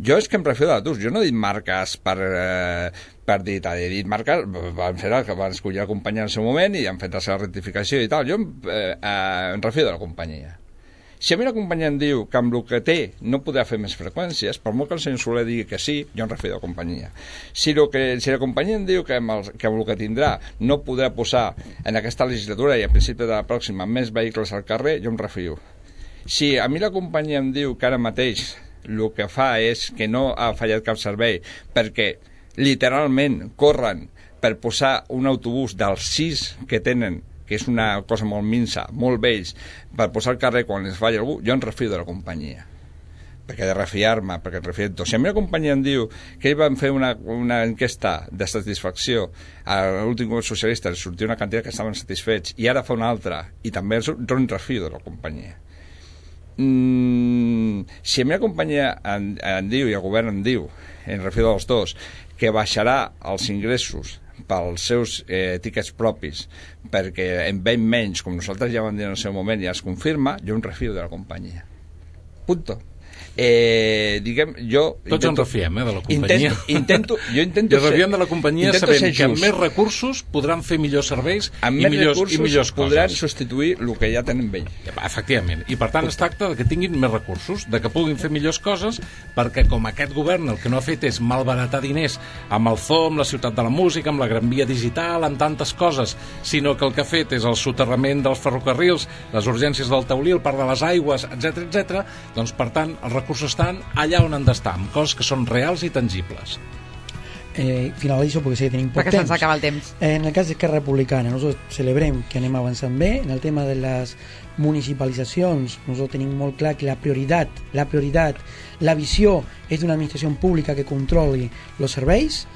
[SPEAKER 4] Jo és que em refiero a tu, jo no he dit marques per, eh, per dir, he dit marques, van fer el que van escollir la companyia en el seu moment i han fet la seva rectificació i tal, jo eh, eh, em refiero a la companyia. Si a mi la companyia em diu que amb el que té no podrà fer més freqüències, per molt que el senyor Soler digui que sí, jo em refiero a la companyia. Si, lo que, si la companyia em diu que amb, el, que amb el que tindrà no podrà posar en aquesta legislatura i a principi de la pròxima més vehicles al carrer, jo em refio. Si a mi la companyia em diu que ara mateix el que fa és que no ha fallat cap servei perquè literalment corren per posar un autobús dels sis que tenen, que és una cosa molt minsa, molt vells, per posar al carrer quan els falla algú, jo em refio de la companyia. Perquè de refiar-me, perquè refio... Si a mi la companyia em diu que ells van fer una, una enquesta de satisfacció, a l'últim govern socialista els sortia una quantitat que estaven satisfets i ara fa una altra, i també jo em refio de la companyia. Mm, si a mi la companyia em, em diu i el govern em diu, en refio dels dos, que baixarà els ingressos pels seus eh, tiquets propis perquè en ven menys, com nosaltres ja vam dir en el seu moment i ja es confirma, jo em refio de la companyia. Punto. Eh, diguem, jo
[SPEAKER 5] tots intento, ens refiem eh, de la companyia
[SPEAKER 4] intento, intento, jo intento
[SPEAKER 5] I refiem de la companyia sabent que amb més recursos podran fer millors serveis
[SPEAKER 4] amb
[SPEAKER 5] i
[SPEAKER 4] més
[SPEAKER 5] millors,
[SPEAKER 4] recursos
[SPEAKER 5] i millors
[SPEAKER 4] podran
[SPEAKER 5] coses.
[SPEAKER 4] Substituir el que ja tenen vell.
[SPEAKER 5] Efectivament, i per tant es tracta de que tinguin més recursos, de que puguin fer millors coses, perquè com aquest govern el que no ha fet és malbaratar diners amb el zoo, amb la ciutat de la música, amb la Gran Via digital, amb tantes coses, sinó que el que ha fet és el soterrament dels ferrocarrils, les urgències del Taulí, el parc de les aigües, etcètera, etcètera. Doncs per tant els recursos estan allà on han d'estar, amb coses que són reals i tangibles.
[SPEAKER 6] Eh, finalitzo perquè sé que tenim poc
[SPEAKER 3] perquè
[SPEAKER 6] temps.
[SPEAKER 3] se'ns acaba el temps.
[SPEAKER 6] Eh, en el cas d'Esquerra Republicana, nosaltres celebrem que anem avançant bé. En el tema de les municipalitzacions, nosaltres tenim molt clar que la prioritat, la prioritat, la visió és d'una administració pública que controli els serveis.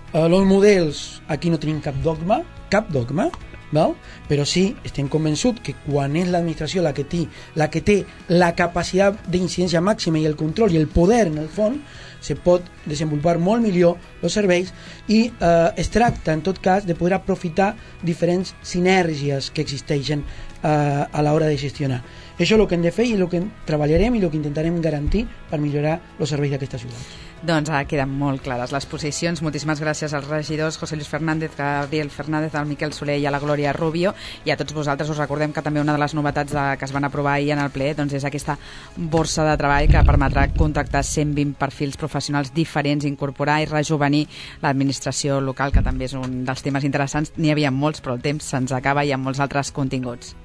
[SPEAKER 6] Eh, els models, aquí no tenim cap dogma, cap dogma, val? Però sí, estem convençuts que quan és l'administració la que té la que té la capacitat d'incidència màxima i el control i el poder en el fons, se pot desenvolupar molt millor els serveis i eh, es tracta en tot cas de poder aprofitar diferents sinergies que existeixen eh, a l'hora de gestionar. Això és el que hem de fer i el que treballarem i el que intentarem garantir per millorar els serveis d'aquesta ciutat.
[SPEAKER 3] Doncs ara queden molt clares les posicions. Moltíssimes gràcies als regidors José Luis Fernández, Gabriel Fernández, al Miquel Soler i a la Glòria Rubio, i a tots vosaltres us recordem que també una de les novetats de, que es van aprovar ahir en el ple doncs és aquesta borsa de treball que permetrà contractar cent vint perfils professionals diferents, incorporar i rejuvenir l'administració local, que també és un dels temes interessants. N'hi havia molts, però el temps se'ns acaba i amb molts altres continguts.